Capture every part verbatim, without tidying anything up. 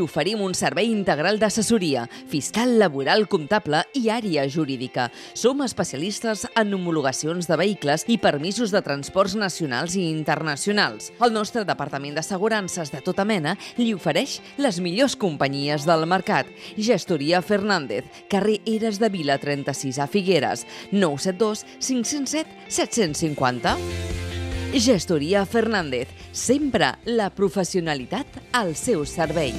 Oferim un servei integral d'assessoria, fiscal, laboral, comptable i àrea jurídica. Som especialistes en homologacions de vehicles i permisos de transports nacionals i internacionals. El nostre departament d'assegurances de tota mena li ofereix les millors companyies del mercat. Gestoria Fernández, carrer Eres de Vila trenta-sis a Figueres, nou set dos cinc zero set set cinc zero. Gestoria Fernández, sempre la professionalitat al seu servei.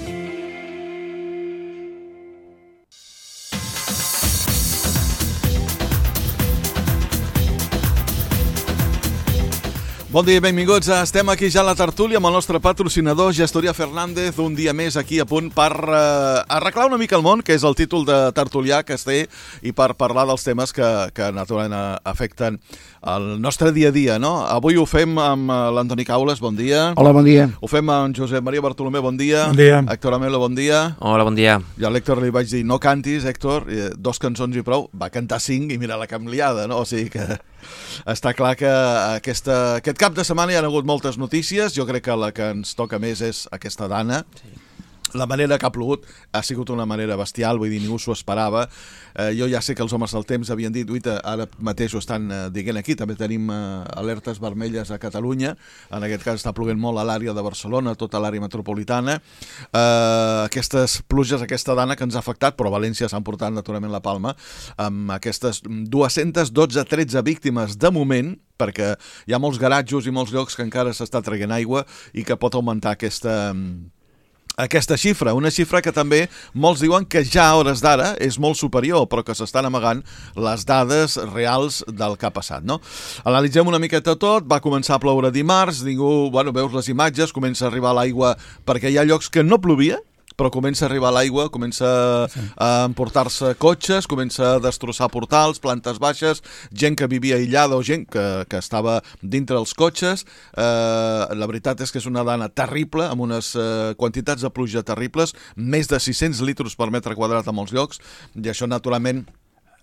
Bon dia i benvinguts. Estem aquí ja a la tertúlia amb el nostre patrocinador, Gestoria Fernández, un dia més aquí a punt per uh, arreglar una mica el món, que és el títol de tertulià que es té, i per parlar dels temes que, que naturalment afecten el nostre dia a dia, no? Avui ho fem amb l'Antoni Caules, bon dia. Hola, bon dia. Ho fem amb Josep Maria Bartolomé, bon dia. Bon dia. Héctor Amelo, bon dia. Hola, bon dia. I a l'Héctor li vaig dir, no cantis, Héctor, dos cançons i prou. Va cantar cinc i mira la camliada, no? O sigui que està clar que aquesta, aquest cap de setmana hi ha hagut moltes notícies. Jo crec que la que ens toca més és aquesta Dana. Sí. La manera que ha plogut ha sigut una manera bestial, vull dir, ningú s'ho esperava. Eh, jo ja sé que els homes del temps havien dit, uita, ara mateix ho estan eh, dient aquí, també tenim eh, alertes vermelles a Catalunya, en aquest cas està ploguent molt a l'àrea de Barcelona, tota l'àrea metropolitana. Eh, aquestes pluges, aquesta Dana que ens ha afectat, però a València s'han portat naturalment la palma, amb aquestes dues-centes dotze tretze víctimes de moment, perquè hi ha molts garatjos i molts llocs que encara s'està traient aigua i que pot augmentar aquesta... aquesta xifra, una xifra que també molts diuen que ja a hores d'ara és molt superior, però que s'estan amagant les dades reals del que ha passat, no? Analitzem una miqueta tot, va començar a ploure dimarts, ningú, bueno, veus les imatges, comença a arribar l'aigua perquè hi ha llocs que no plovia, però comença a arribar l'aigua, comença a emportar-se cotxes, comença a destrossar portals, plantes baixes, gent que vivia aïllada o gent que, que estava dintre els cotxes. Eh, la veritat és que és una Dana terrible, amb unes eh, quantitats de pluja terribles, més de sis-cents litres per metre quadrat a molts llocs, i això naturalment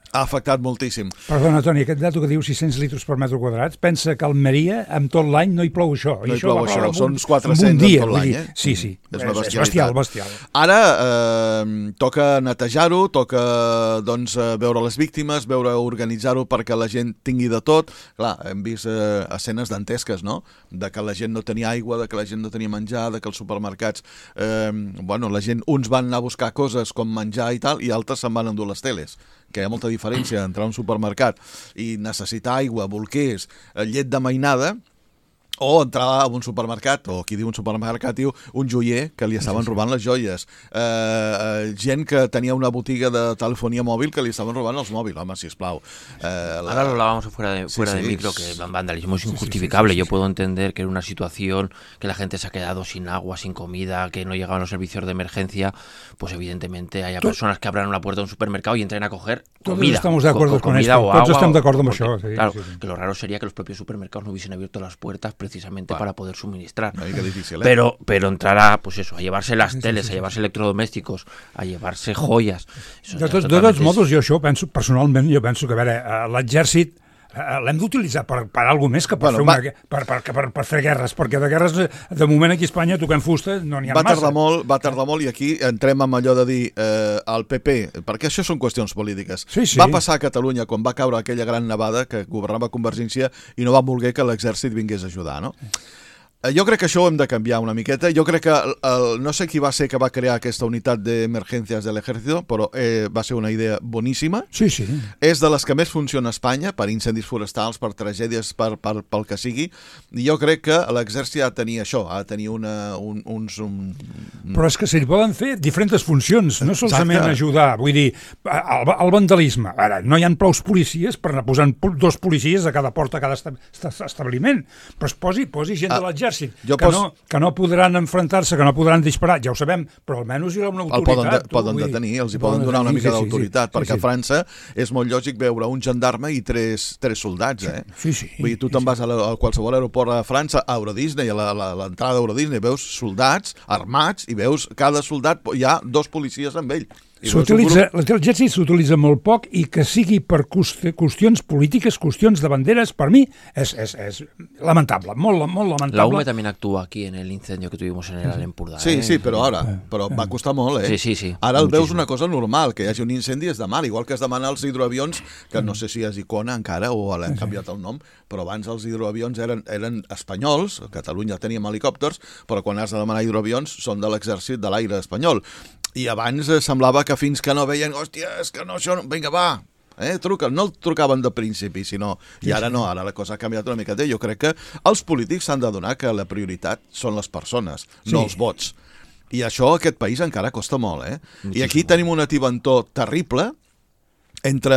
ha afectat moltíssim. Perdona, Toni, aquest dato que diu sis-cents litres per metre quadrat, pensa que a Almeria, amb tot l'any, no hi plou això. No hi això plou això, són uns quatre-cents en tot l'any, eh? Sí, sí, és, és, és bestial, bestial. Ara eh, toca netejar-ho, toca doncs, veure les víctimes, veure organitzar-ho perquè la gent tingui de tot. Clar, hem vist eh, escenes dantesques, no? De que la gent no tenia aigua, de que la gent no tenia menjar, de que els supermercats, eh, bueno, la gent, uns van anar a buscar coses com menjar i tal, i altres se'n van endur les teles, que hi ha molta diferència entrar a un supermercat i necessitar aigua, bolquers, llet de mainada, o entrar a un supermercat, o qui diu un supermercat diu un joier que li estaven robant les joies, eh, eh, gent que tenia una botiga de telefonia mòbil que li estaven robant els mòbils, home, sisplau. Eh, la... Ahora lo hablábamos fuera de, fuera sí, sí, de micro, que el vandalismo es injustificable. Sí, sí, sí, sí, sí. Yo puedo entender que en una situación que la gente se ha quedado sin agua, sin comida, que no llegaban los servicios de emergencia, pues evidentemente haya ¿Tú? personas que abran la puerta de un supermercado y entren a coger comida. Todos estamos de acuerdo con comida esto, o todos agua, estamos de acuerdo con porque, eso. Sí, claro, sí, sí. que lo raro sería que los propios supermercados no hubiesen abierto las puertas precisamente bueno. para poder suministrar. Una mica difícil, eh? Pero, pero entrar a, pues eso, a llevarse las sí, teles, sí, sí, a llevarse electrodomésticos, a llevarse joyas. Eso de, tot, de tots modos, jo això penso, personalment, jo penso que, a veure, l'exèrcit l'hem d'utilitzar per, per alguna més que per, bueno, fer una, va, per, per, per, per fer guerres, perquè de guerres, de moment aquí a Espanya, toquem fusta, no n'hi ha va massa. Tardar molt, va tardar molt, i aquí entrem amb allò de dir eh, al P P, perquè això són qüestions polítiques. Sí, sí. Va passar a Catalunya quan va caure aquella gran nevada que governava Convergència i no va voler que l'exèrcit vingués a ajudar, no? Jo crec que això ho hem de canviar una miqueta. Jo crec que, el, el, no sé qui va ser que va crear aquesta unitat d'emergències de l'Ejército, però eh, va ser una idea boníssima. Sí, sí. És de les que més funciona a Espanya, per incendis forestals, per tragèdies, per, per, pel que sigui. I jo crec que l'exèrcit ha de tenir això, ha de tenir una, un, uns... Un... Però és que se li poden fer diferents funcions, no solament Exacte. ajudar. Vull dir, el, el vandalisme. Ara, no hi ha prou policies per anar posant dos policies a cada porta, a cada establiment, però es posi, posi gent ah. de l'exèrcit. Que, pos... no, que no podran enfrontar-se, que no podran disparar, ja ho sabem, però almenys hi ha una autoritat. El poden, de, tu, poden detenir, els hi poden donar una mica sí, d'autoritat, sí, sí, perquè sí, sí. a França és molt lògic veure un gendarme i tres, tres soldats, eh? Sí, sí. Vull dir, tu te'n sí, vas a, la, a qualsevol aeroport a França, a Euro Disney, a l'entrada d'Euro Disney, veus soldats armats i veus cada soldat, hi ha dos policies amb ell. S'utilitza, la intel·ligència s'utilitza molt poc i que sigui per qüestions polítiques, qüestions de banderes, per mi és, és, és lamentable, molt, molt lamentable. La U M E también actúa aquí en el incendio que tuvimos en el Alem Empordà. Sí, eh? sí, però ara, però va costar molt, eh? Sí, sí, sí. Ara el Muchísimo. veus una cosa normal, que hi hagi un incendi es demana, igual que es demana els hidroavions, que no sé si és Icona encara o l'han canviat el nom, però abans els hidroavions eren, eren espanyols, a Catalunya teníem helicòpters, però quan has de demanar hidroavions són de l'exèrcit de l'aire espanyol. I abans eh, semblava que fins que no veien, hòstia, és que no, això, no... vinga, va, eh, truca. No el trucaven de principi, sinó... I ara no, ara la cosa ha canviat una miqueta. Jo crec que els polítics s'han d'adonar que la prioritat són les persones, sí. no els vots. I això a aquest país encara costa molt, eh? Moltíssim. I aquí tenim un ativentó terrible entre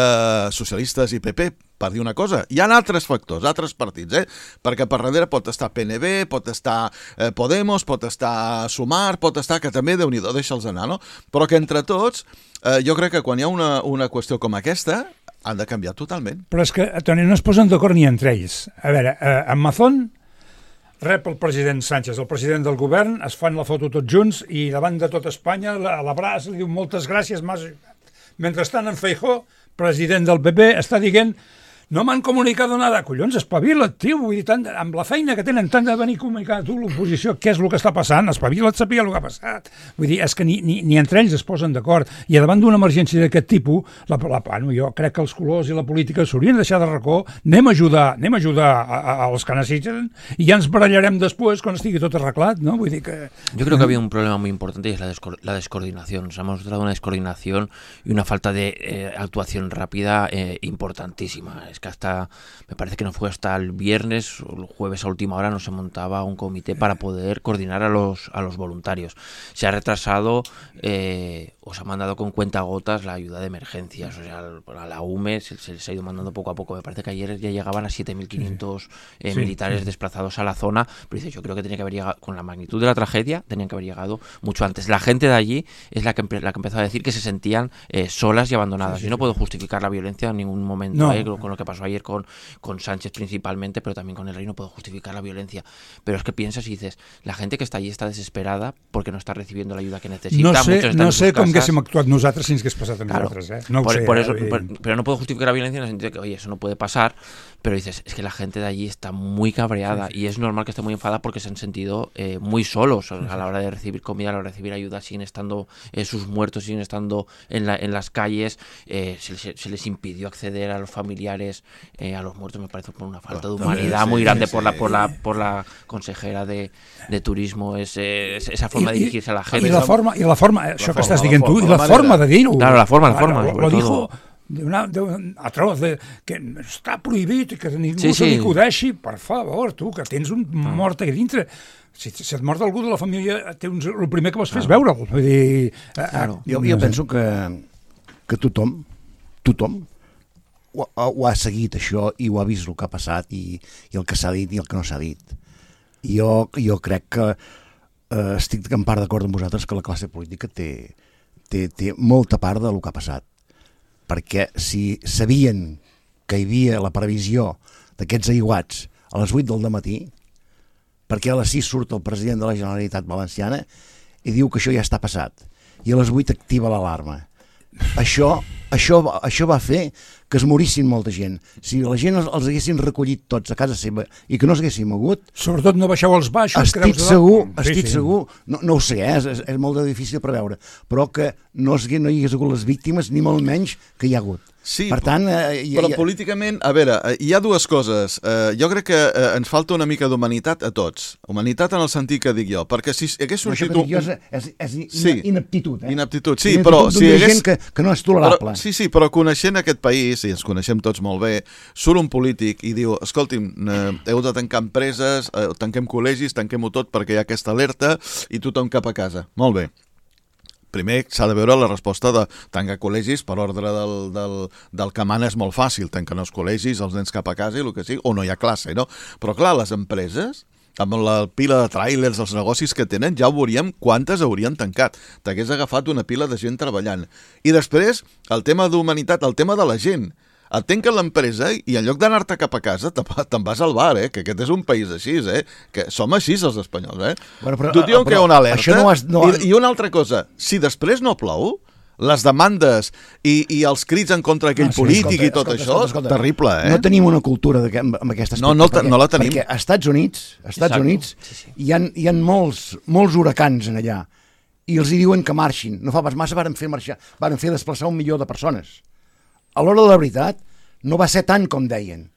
socialistes i P P, per dir una cosa. Hi ha altres factors, altres partits, eh? Perquè per darrere pot estar P N B, pot estar eh, Podemos, pot estar Sumar, pot estar, que també, Déu-n'hi-do, deixa'ls anar, no? Però que entre tots, eh, jo crec que quan hi ha una, una qüestió com aquesta, han de canviar totalment. Però és que, Toni, no es posen d'acord ni entre ells. A veure, eh, en Mazón rep el president Sánchez, el president del govern, es fan la foto tots junts i davant de tot Espanya l'abraç, li diu moltes gràcies, m'has ajudat. Mentrestant, en Feijóo, president del P P, està dient no m'han comunicat nada. Collons, espavila't, tio. Vull dir, tant, amb la feina que tenen, tant de venir a comunicar a tu, l'oposició, què és el que està passant? Espavila't, sapia el que ha passat. Vull dir, és que ni, ni, ni entre ells es posen d'acord. I davant d'una emergència d'aquest tipus, la, la, bueno, jo crec que els colors i la política s'haurien de deixar de racó, anem a ajudar, anem a ajudar a, a, als que necessiten i ja ens barallarem després quan estigui tot arreglat, ¿no? Vull dir que... Yo creo que había un problema muy importante y es la, desco la descoordinación. Nos hemos mostrado una descoordinación y una falta de eh, actuación rápida eh, importantísima. Es que hasta, me parece que no fue hasta el viernes o el jueves a última hora no se montaba un comité para poder coordinar a los, a los voluntarios. Se ha retrasado, eh, o se ha mandado con cuentagotas la ayuda de emergencias, o sea, a la U M E se, se les ha ido mandando poco a poco. Me parece que ayer ya llegaban a siete mil quinientos eh, sí, militares sí. desplazados a la zona, pero dice, yo creo que tenía que haber llegado, con la magnitud de la tragedia, tenían que haber llegado mucho antes. La gente de allí es la que, la que empezó a decir que se sentían eh, solas y abandonadas. Sí, sí, Yo no puedo justificar la violencia en ningún momento, no. eh, con lo que pasó ayer con, con Sánchez principalmente, pero también con el rey no puedo justificar la violencia. Pero es que piensas y dices, la gente que está allí está desesperada porque no está recibiendo la ayuda que necesita. No sé, Muchos no sé com haguéssim actuat nosaltres si ens hagués passat a claro, nosaltres. Eh? No por, ho sé. Por eso, eh? por, pero no puedo justificar la violencia en el sentido de que, oye, eso no puede pasar, pero dices, es que la gente de allí está muy cabreada sí, sí. y es normal que esté muy enfadada porque se han sentido eh, muy solos sí, a la hora de recibir comida, a la hora de recibir ayuda, siguen estando eh, sus muertos, siguen estando en, la, en las calles, eh, se, se, se les impidió acceder a los familiares, eh, a los muertos, me parece por una falta de humanidad sí, muy grande sí, por, la, por, la, por la consejera de, de turismo, es, es, esa forma I, de dirigirse a la gente. I la forma, i la forma això la que forma, estàs dient tu, i la, la forma de dir-ho. Claro, la forma, la forma. Lo, lo dijo de una, de un atroz, de, que està prohibit, que ningú sí, se li sí. acudeixi, per favor, tu, que tens un ah. mort aquí dintre. Si, si et mort algú de la família, tens, el primer que vols fer és veure'l. Vull dir, claro. jo, jo penso que, que tothom, tothom, ho, ho ha seguit això i ho ha vist el que ha passat i, i el que s'ha dit i el que no s'ha dit. Jo, jo crec que eh, estic en part d'acord amb vosaltres que la classe política té, té, té molta part del que ha passat, perquè si sabien que hi havia la previsió d'aquests aiguats a les vuit del dematí, perquè a les sis surt el president de la Generalitat Valenciana i diu que això ja està passat i a les vuit activa l'alarma. Això, això, això va fer que es morissin molta gent. Si la gent els, els haguessin recollit tots a casa seva i que no s'haguessin mogut... Sobretot no baixeu als baixos. Estic segur, estic sí, sí. segur, no, no ho sé, eh, és, és molt difícil de preveure, però que no, no hi hagués hagut les víctimes, ni molt menys que hi ha hagut. Sí, per tant, eh, però ha... políticament, a veure, hi ha dues coses. Eh, jo crec que eh, ens falta una mica d'humanitat a tots. Humanitat en el sentit que dic jo, perquè si hagués sorgit... No, això que dic jo és, és, és sí, inaptitud, eh? Inaptitud, sí, inaptitud però si hagués... gent que, que no és tolerable. Però, sí, sí, però coneixent aquest país, i ens coneixem tots molt bé, surt un polític i diu, escolti'm, eh, heu de tancar empreses, eh, tanquem col·legis, tanquem-ho tot perquè hi ha aquesta alerta i tothom cap a casa. Molt bé. Primer s'ha de veure la resposta de tancar col·legis per ordre del, del, del que mana és molt fàcil, tancar els col·legis, els nens cap a casa i el que sigui, o no hi ha classe, no? Però clar, les empreses, amb la pila de tràilers, els negocis que tenen, ja ho veuríem quantes haurien tancat. T'hagués agafat una pila de gent treballant. I després, el tema d'humanitat, el tema de la gent. Et tanquen l'empresa i en lloc d'anar-te cap a casa te'n vas al bar, eh? Que aquest és un país així, eh? Que som així els espanyols, eh? Bueno, però, tu diuen que hi ha una alerta no has, no... I, i una altra cosa, si després no plou, les demandes i, i els crits en contra d'aquell Ah, sí, polític escolta, i tot escolta, això, escolta, escolta. terrible, eh? No tenim una cultura de, amb aquest aspecte. No, no, perquè, no la tenim. Perquè als Estats Units, als Estats Exacte. Units Sí, sí. hi ha, hi ha molts, molts huracans en allà i els hi diuen que marxin. No fa pas massa varen fer marxar, varen fer desplaçar un milió de persones. A l'hora de la veritat, no va ser tant com deien,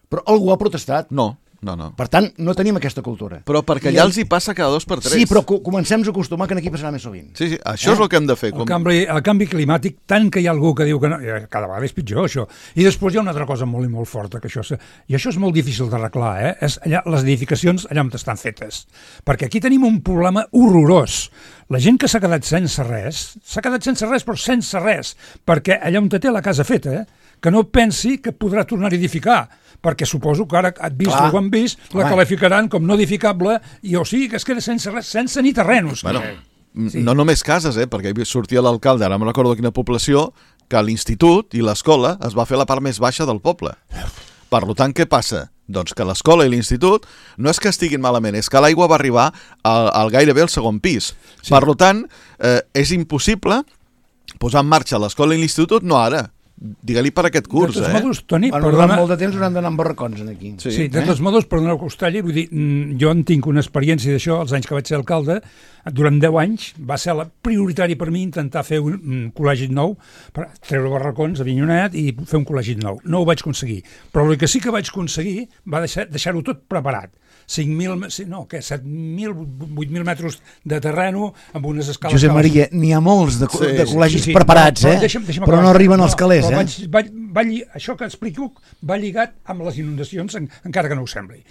però algú ha protestat. No, no, no. Per tant, no tenim aquesta cultura. Però perquè I ja el- els hi passa cada dos per tres. Sí, però co- comencem a acostumar que aquí passarà més sovint. Sí, sí, això és el que hem de fer. El canvi, el canvi climàtic, tant que hi ha algú que diu que no, eh, cada vegada és pitjor, això. I després hi ha una altra cosa molt i molt forta, que això, se- i això és molt difícil d'arreglar, eh? És allà, les edificacions allà on estan fetes. Perquè aquí tenim un problema horrorós. La gent que s'ha quedat sense res, s'ha quedat sense res, però sense res, perquè allà on té la casa feta, eh? Que no pensi que podrà tornar a edificar, perquè suposo que ara et vist Clar. o ho han vist, la Home. qualificaran com no edificable, i o sigui que es queda sense res, sense ni terrenos. Bueno, Sí. no només cases, eh? Perquè hi sortia l'alcalde, ara no recordo de quina població, que l'institut i l'escola es va fer a la part més baixa del poble. Per tant, què passa? Doncs que l'escola i l'institut no és que estiguin malament, és que l'aigua va arribar al, al gairebé al segon pis. Sí. Per tant, eh, és impossible posar en marxa l'escola i l'institut, no ara. Digue-li per aquest curs, de tots eh? modos, Toni, Bueno, perdona... durant molt de temps hauran d'anar amb barracons aquí. Sí. Sí, de tots modos, perdoneu que us talli, vull dir, mm, jo en tinc una experiència d'això, els anys que vaig ser alcalde, durant deu anys va ser la prioritari per mi intentar fer un, un col·legi nou, per treure barracons a Vinyonet i fer un col·legi nou. No ho vaig aconseguir, però el que sí que vaig aconseguir va deixar, deixar-ho tot preparat. cinc mil, no, què, set mil, vuit mil metres de terreno amb unes escales... Josep escales- Maria, n'hi ha molts de, Sí, de col·legis Sí, sí, preparats, però, eh? però, deixa'm, deixa'm però acabar. no arriben als calés, però eh? Vaig, vaig, va, lli- això que explico va lligat amb les inundacions, en, encara que no ho sembli.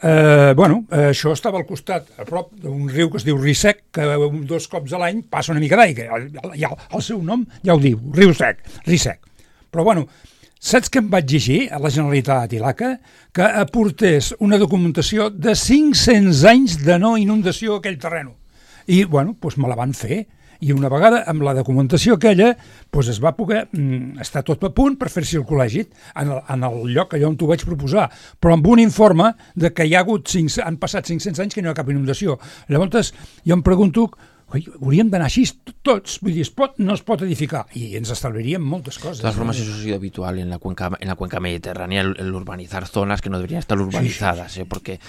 Eh, bueno, eh, això estava al costat, a prop d'un riu que es diu Risec, que un, dos cops a l'any passa una mica d'aigua. El, el, el seu nom ja ho diu, Riu Sec, Risec. Però bueno, saps què em vaig llegir a la Generalitat i l'A C A? Que aportés una documentació de cinc-cents anys de no inundació a aquell terreno. I, bueno, doncs me la van fer. I una vegada, amb la documentació aquella, doncs es va poder mm, estar tot a punt per fer-s'hi el col·legi en el, en el lloc allà on t'ho vaig proposar, però amb un informe de que hi ha hagut cinc, han passat cinc-cents anys que no hi ha cap inundació. Llavors, jo em pregunto, oi, hauríem d'anar així tots, vull dir, es pot, no es pot edificar, i ens estalviaríem moltes coses. De todas formas, eso ha sido habitual en la cuenca, en la cuenca mediterránea, el, el urbanizar zonas que no deberían estar urbanizadas, ¿eh? Porque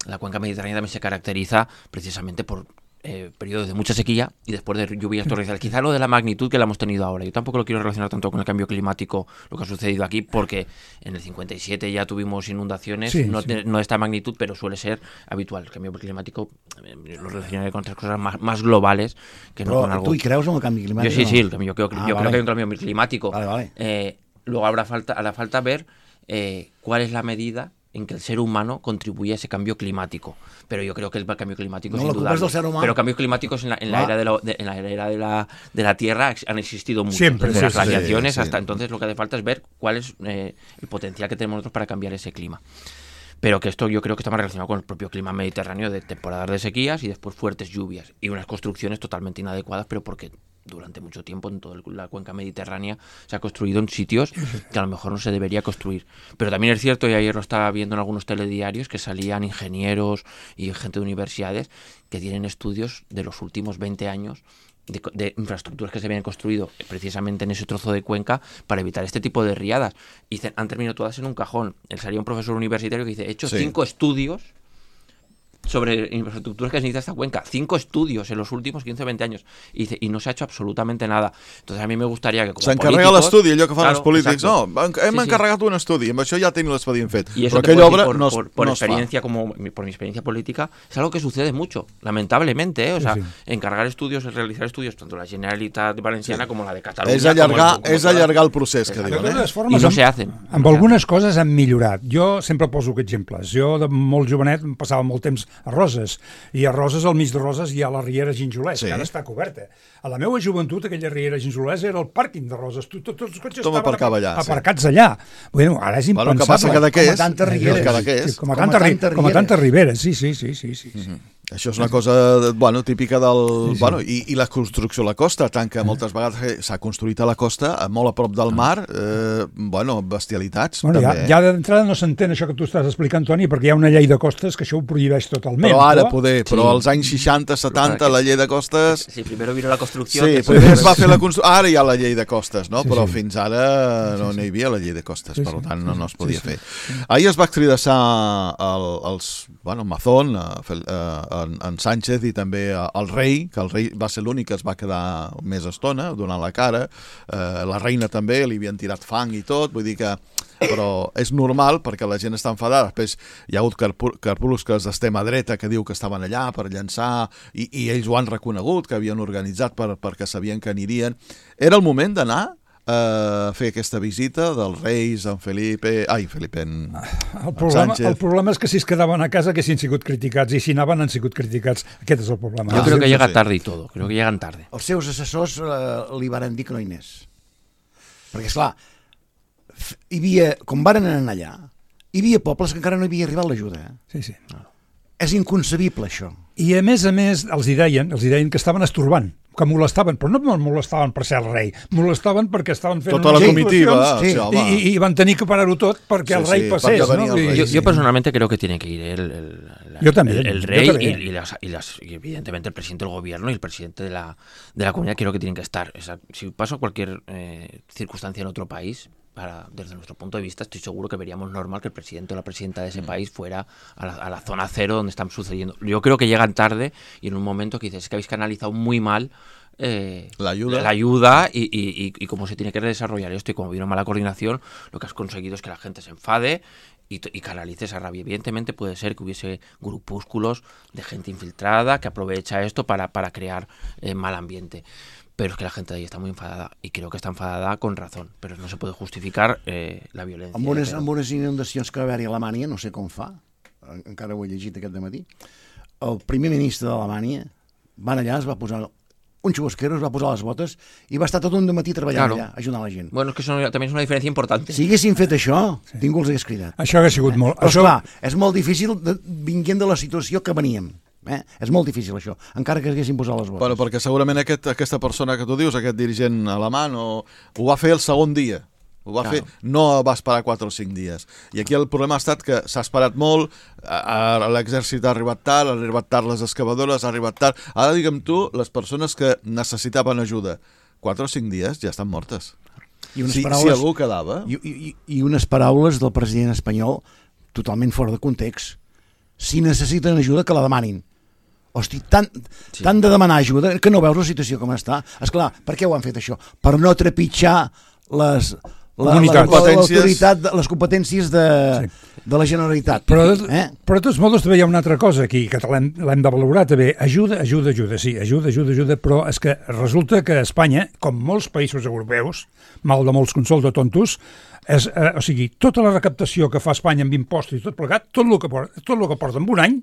la cuenca mediterránea también se caracteriza precisamente por eh, periodos de mucha sequía y después de lluvias torrenciales. Quizá lo de la magnitud que la hemos tenido ahora. Yo tampoco lo quiero relacionar tanto con el cambio climático, lo que ha sucedido aquí, porque en el cincuenta y siete ya tuvimos inundaciones, Sí, no, sí. de, no de esta magnitud, pero suele ser habitual. El cambio climático eh, lo relacionaré con otras cosas más, más globales que no Però con algo. tu hi creus en el canvi Yo climàtic? sí, o no? sí, el cambio, yo, creo, Ah, yo vale. creo que hay un cambio climático. Vale, vale. Eh, luego habrá falta, hará falta ver eh, cuál es la medida en que el ser humano contribuye a ese cambio climático. Pero yo creo que el cambio climático No, es la culpa indudable. es del ser humano. Pero cambios climáticos en la, en la Ah. era, de la, de- en la, era de, la, de la Tierra ex- han existido muchos. Siempre, Desde sí, las sí, glaciaciones sí. hasta entonces lo que hace falta es ver cuál es eh, el potencial que tenemos nosotros para cambiar ese clima. Pero que esto yo creo que está más relacionado con el propio clima mediterráneo de temporadas de sequías y después fuertes lluvias y unas construcciones totalmente inadecuadas, pero porque durante mucho tiempo en toda la cuenca mediterránea se ha construido en sitios que a lo mejor no se debería construir. Pero también es cierto, y ayer lo estaba viendo en algunos telediarios, que salían ingenieros y gente de universidades que tienen estudios de los últimos veinte años de, de infraestructuras que se habían construido precisamente en ese trozo de cuenca para evitar este tipo de riadas. Y dicen, han terminado todas en un cajón. Él salía un profesor universitario que dice, he hecho Sí. cinco estudios sobre infraestructuras que necesita esta cuenca. Cinco estudios en los últimos quince o veinte años. Y, dice, y no se ha hecho absolutamente nada. Entonces a mí me gustaría que como S'encarrega políticos- l'estudi, allò que fan Claro, els polítics. exacto. No, hem Sí, sí. encarregat un estudi, amb això ja tenim l'expedient fet. Y eso Però te aquella puedo decir obra por, no es, por, por no es fa. experiencia, como mi- por mi experiencia política, es algo que sucede mucho, lamentablemente, ¿eh? O sea, Sí, sí. encargar estudios, realizar estudios, tanto la Generalitat Valenciana como la de Cataluña. És allargar, como el- és como allargar el procés, que De diuen, totes eh? formes, I no amb- se hacen. Amb No se algunes coses han millorat. Jo sempre poso exemples. Jo, de molt jovenet, em passava molt temps a Roses. I a Roses, al mig de Roses, hi ha la Riera Ginjolès, Sí. que ara està coberta. A la meva joventut, aquella Riera Ginjolès era el pàrquing de Roses. Tu- tu- Tots els cotxes Tothom estaven aparcava allà, sí. aparcats allà. Bueno, ara és Bueno, impensable. que passa cada què Com a és. tantes rieres. Cada què és. Sí, com a Com a tantes ri- tantes com a tantes rieres. riberes, sí, sí, sí, sí, sí. sí. Això és una cosa, bueno, típica del... Sí, sí. Bueno, i, i la construcció a la costa, tant que moltes vegades s'ha construït a la costa, a molt a prop del mar, eh, bueno, bestialitats, Bueno, ja, també. ja d'entrada no s'entén això que tu estàs explicant, Toni, perquè hi ha una llei de costes que això ho prohibeix tot totalment. Però ara però... poder, però Sí. als anys seixanta, setanta, la llei de costes... Sí, primero vino la construcción. Sí, después- primer es va fer la construcció... Ara hi ha la llei de costes, no? Sí, Però sí. fins ara no n'hi havia la llei de costes, Sí, per sí. tant no, no es podia Sí, sí. fer. Ahir es va extraditar el, els, bueno, Mazón, eh, Fel- eh, en, en Sánchez i també eh, el rei, que el rei va ser l'únic que es va quedar més estona donant la cara, eh, la reina també, li havien tirat fang i tot, vull dir que però és normal perquè la gent està enfadada. Després hi ha hagut carpu- carpúscules d'extrema dreta que diu que estaven allà per llançar i, i ells ho han reconegut, que havien organitzat per, perquè sabien que anirien. Era el moment d'anar a fer aquesta visita dels reis, en Felipe... Ai, Felipe, en, El en problema, Sánchez. el problema és que si es quedaven a casa haguessin sigut criticats i si anaven han sigut criticats. Aquest és el problema. Yo Ah, creo sí, que sí, llega sí. tarde y todo. Creo que llegan tarde. Els seus assessors eh, li varen dir que no hi anés. Perquè, esclar, f- hi havia, com varen anar allà, hi havia pobles que encara no hi havia arribat l'ajuda. Eh? Sí, sí. És inconcebible, això. I a més a més els hi deien, els hi deien que estaven estorbant, que molestaven, però no molestaven per ser el rei, molestaven perquè estaven fent Tota la unes comitiva, actuacions sí, sí, home. i, i, i van tenir que parar-ho tot perquè Sí, el rei sí, passés. perquè venia No? el I- rei. Yo, Sí, yo sí. personalmente creo que tiene que ir el, el, la- Yo también, el, el yo rey y, también. y las, y, las, y evidentemente el presidente del gobierno y el presidente de la, de la comunidad creo que tienen que estar. O sea, si pasa cualquier eh, circunstancia en otro país, para, desde nuestro punto de vista, estoy seguro que veríamos normal que el presidente o la presidenta de ese país fuera a la, a la zona cero donde están sucediendo. Yo creo que llegan tarde y en un momento que dices, es que habéis canalizado muy mal eh, La ayuda. la ayuda y, y, y, y cómo se tiene que desarrollar esto. Y como vino mala coordinación, lo que has conseguido es que la gente se enfade y, y canalice esa rabia. Evidentemente puede ser que hubiese grupúsculos de gente infiltrada que aprovecha esto para, para crear eh, mal ambiente. Pero es que la gente de ahí está muy enfadada y creo que está enfadada con razón, pero no se puede justificar eh, la violencia. Amb unes, Pero- amb unes inundacions que va haver-hi a Alemanya, no sé com fa, en- encara ho he llegit aquest dematí, el primer ministre d'Alemanya van allà, es va posar un xubasquero, es va posar les botes i va estar tot un dematí treballant Claro. allà, ajudant la gent. Bueno, es que eso también es una diferencia importante. Si haguessin fet això, sí. ningú els hagués cridat. Això hauria sigut molt... Però, Això, esclar, és molt difícil de, vinguent de la situació que veníem. Eh? És molt difícil, això, encara que haguessin posat les botes. Bueno, perquè segurament aquest, aquesta persona que tu dius, aquest dirigent alemany, o, ho va fer el segon dia. Ho va Claro. fer, no va esperar quatre o cinc dies. I aquí el problema ha estat que s'ha esperat molt, a, a l'exèrcit ha arribat tard, han arribat tard les excavadores, ha arribat tard... Ara, digue'm tu, les persones que necessitaven ajuda, quatre o cinc dies ja estan mortes. I unes Si, paraules, si algú quedava... i, i, i unes paraules del president espanyol totalment fora de context. Si necessiten ajuda, que la demanin. Hosti, tant, Sí. tant de demanar ajuda que no veus la situació com està. Esclar, per què ho han fet això? Per no trepitjar les... La, la, Comunitats. la, l'autoritat, de- les competències de, Sí. de la Generalitat. Però, eh? però de tots modos també hi ha una altra cosa aquí, que l'hem l'hem de valorar també. Ajuda, ajuda, ajuda, sí, ajuda, ajuda, ajuda, però és que resulta que Espanya, com molts països europeus, mal de molts consols de tontos, és, eh, o sigui, tota la recaptació que fa Espanya amb impostos i tot plegat, tot el que porta, tot el que porta en un any,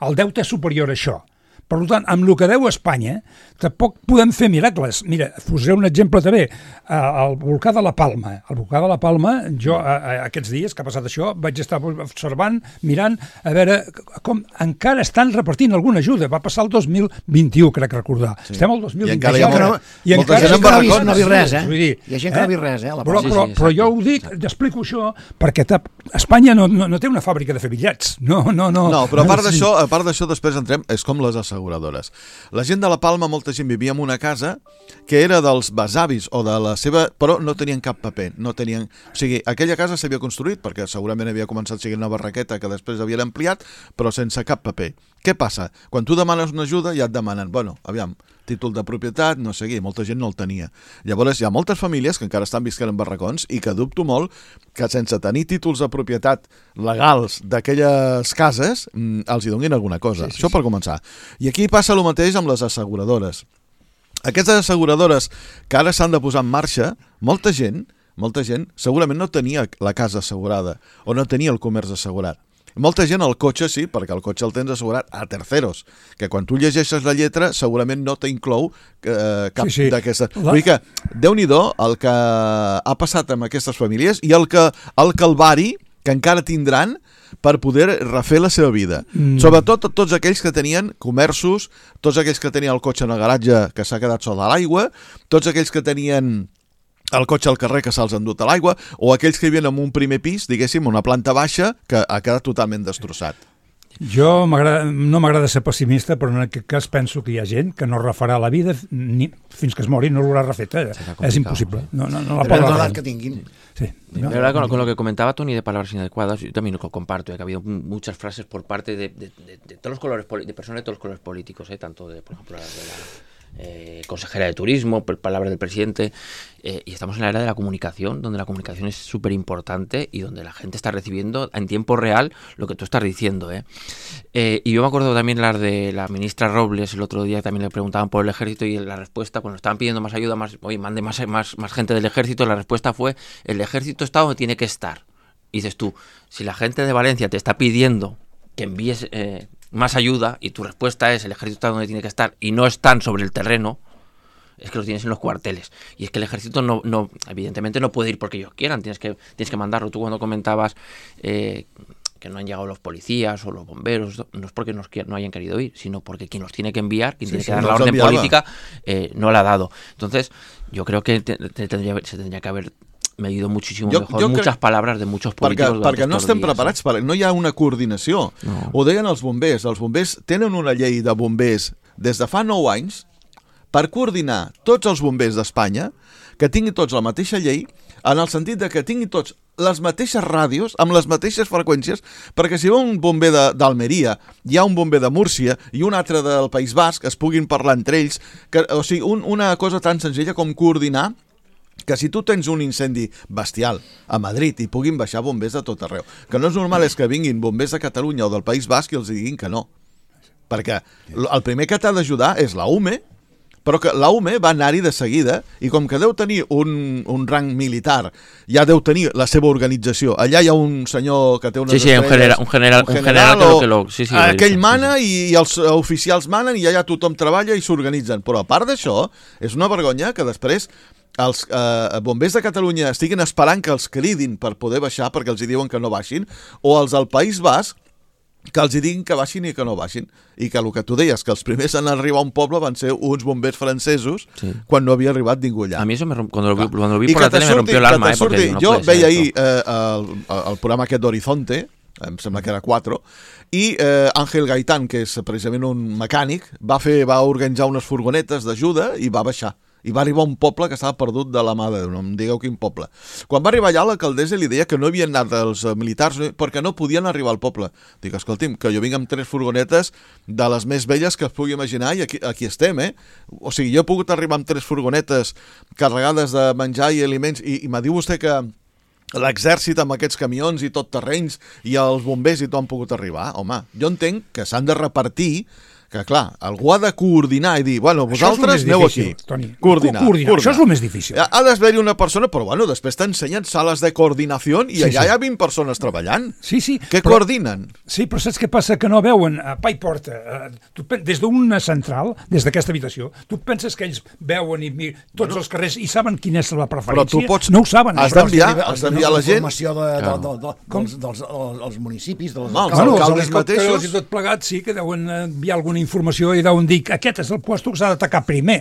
el deute és superior a això. Per tant, amb el que deu Espanya, tampoc podem fer miracles. Mira, posaré un exemple també. El volcà de la Palma. El volcà de la Palma, jo aquests dies que ha passat això, vaig estar observant, mirant, a veure com encara estan repartint alguna ajuda. Va passar el dos mil vint-i-u, crec recordar. Sí. Estem al dos mil vint-i-u. I encara hi ha que no, molta- i molta encara gent hi ha en gent que no ha vist, barracons. no ha vist res, eh? Vull dir, Hi ha gent que no ha vist res, eh? a la Però, Palma. però, Sí, sí, però exacte. jo ho dic, explico això, perquè ta- Espanya no, no, no té una fàbrica de fer bitllets. No, no, no. No, però a part Sí. d'això, a part d'això després entrem, és com les asseguradores. La gent de la Palma, molta gent vivia en una casa que era dels besavis o de la seva... però no tenien cap paper, no tenien... O sigui, aquella casa s'havia construït perquè segurament havia començat sent una barraqueta que després havien ampliat, però sense cap paper. Què passa? Quan tu demanes una ajuda ja et demanen, bueno, aviam, títol de propietat, no sé què, molta gent no el tenia. Llavors hi ha moltes famílies que encara estan visquent en barracons i que dubto molt que sense tenir títols de propietat legals d'aquelles cases mm, els hi donin alguna cosa. Sí, sí, Això per començar. I aquí passa el mateix amb les asseguradores. Aquestes asseguradores que ara s'han de posar en marxa, molta gent, molta gent segurament no tenia la casa assegurada o no tenia el comerç assegurat. Molta gent el cotxe sí, perquè el cotxe el tens assegurat a terceros, que quan tu llegeixes la lletra segurament no t'inclou eh, cap Sí, sí. d'aquestes... La- Vull dir que, Déu-n'hi-do el que ha passat amb aquestes famílies i el, que, el calvari que encara tindran per poder refer la seva vida. Mm. Sobretot tots aquells que tenien comerços, tots aquells que tenien el cotxe en el garatge que s'ha quedat sota l'aigua, tots aquells que tenien el cotxe al carrer que se'ls ha endut a l'aigua, o aquells que vivien en un primer pis, diguéssim, una planta baixa, que ha quedat totalment destrossat. Jo no m'agrada ser pessimista, però en aquest cas penso que hi ha gent que no refarà la vida ni, fins que es mori, no l'haurà refeta. És impossible. No, no, no la pot refer. Que tinguin. Sí. No, verdad, con, con lo que comentaba Toni de palabras inadecuadas, yo también lo comparto, eh, que ha habido muchas frases por parte de, de, de, de todos los colores, de personas de todos los colores políticos, eh, tanto de, por ejemplo, de la Eh, consejera de turismo, palabras del presidente, eh, y estamos en la era de la comunicación, donde la comunicación es súper importante y donde la gente está recibiendo en tiempo real lo que tú estás diciendo. ¿eh? Eh, y yo me acuerdo también las de la ministra Robles, el otro día también le preguntaban por el ejército y la respuesta, cuando estaban pidiendo más ayuda, más, oye, mande más, más, más gente del ejército, la respuesta fue, el ejército está donde tiene que estar. Y dices tú, si la gente de Valencia te está pidiendo que envíes eh, más ayuda y tu respuesta es el ejército está donde tiene que estar y no están sobre el terreno, es que los tienes en los cuarteles. Y es que el ejército no, no evidentemente no puede ir porque ellos quieran, tienes que, tienes que mandarlo. Tú cuando comentabas eh, que no han llegado los policías o los bomberos, no es porque no, no hayan querido ir, sino porque quien los tiene que enviar, quien sí, tiene sí, que dar la orden enviaba. política, eh, no la ha dado. Entonces, yo creo que te, te tendría, se tendría que haber medido muchísimo jo, mejor jo muchas crec... palabras de muchos políticos perquè, perquè no estem dies, preparats, eh? per... no hi ha una coordinació. No. Ho deien els bombers, els bombers tenen una llei de bombers des de fa nou anys per coordinar tots els bombers d'Espanya, que tinguin tots la mateixa llei, en el sentit de que tinguin tots les mateixes ràdios, amb les mateixes freqüències, perquè si va un bomber d'Almeria, hi ha un bomber de Múrcia i un altre del País Basc, es puguin parlar entre ells, que, o sigui, un, una cosa tan senzilla com coordinar que si tu tens un incendi bestial a Madrid i puguin baixar bombers de tot arreu. Que no és normal és que vinguin bombers de Catalunya o del País Basc i els diguin que no. Perquè el primer que t'ha d'ajudar és la U M E, però que la U M E va anar-hi de seguida i com que deu tenir un, un rang militar, ja deu tenir la seva organització. Allà hi ha un senyor que té unes sí, sí, estrelles... Un general, un general, un general, un general o, que lo... Sí, sí, aquell mana sí, sí. I, i els oficials manen i allà tothom treballa i s'organitzen. Però a part d'això, és una vergonya que després els eh, bombers de Catalunya estiguin esperant que els cridin per poder baixar perquè els hi diuen que no baixin, o els del País Basc que els hi diguin que baixin i que no baixin, i que el que tu deies, que els primers en arribar a un poble van ser uns bombers francesos sí. quan no havia arribat ningú allà. A mi eso me romp... cuando, lo vi, cuando lo vi por la tele me rompió el alma, eh, porque no jo puede veia ahir eh, el, el programa aquest d'Horizonte, em sembla que era quatre, i eh, Ángel Gaitán, que és precisament un mecànic, va fer va organitzar unes furgonetes d'ajuda i va baixar. I va arribar a un poble que estava perdut de la mà de Déu, no em digueu quin poble. Quan va arribar allà, l'alcaldessa li deia que no havien anat els militars perquè no podien arribar al poble. Dic, escolti'm, que jo vinc amb tres furgonetes de les més velles que es pugui imaginar i aquí, aquí estem, eh? O sigui, jo he pogut arribar amb tres furgonetes carregades de menjar i aliments i, i m'ha dit vostè que l'exèrcit amb aquests camions i tot terrenys i els bombers i tot han pogut arribar. Home, jo entenc que s'han de repartir, que clar, algú ha de coordinar i dir, bueno, vosaltres aneu aquí. Toni. Coordinar, coordinar. coordinar. Això és el més difícil. Ha, ha d'haver-hi una persona, però bueno, després t'ensenyen sales de coordinació i sí, allà sí. hi ha vint persones treballant. Sí, sí. Què però, coordinen? Sí, però saps què passa? Que no veuen a pa i porta. Uh, tu, des d'una central, des d'aquesta habitació, tu penses que ells veuen i tots bueno, els carrers i saben quina és la preferència? Però tu pots... No ho saben. Has d'enviar a la gent... Informació de, de, de, de, dels, dels, dels, dels municipis, dels no, els alcaldes mateixos. I tot plegat, sí, que deuen enviar alguna informació i deuen dir aquest és el puesto que s'ha d'atacar primer,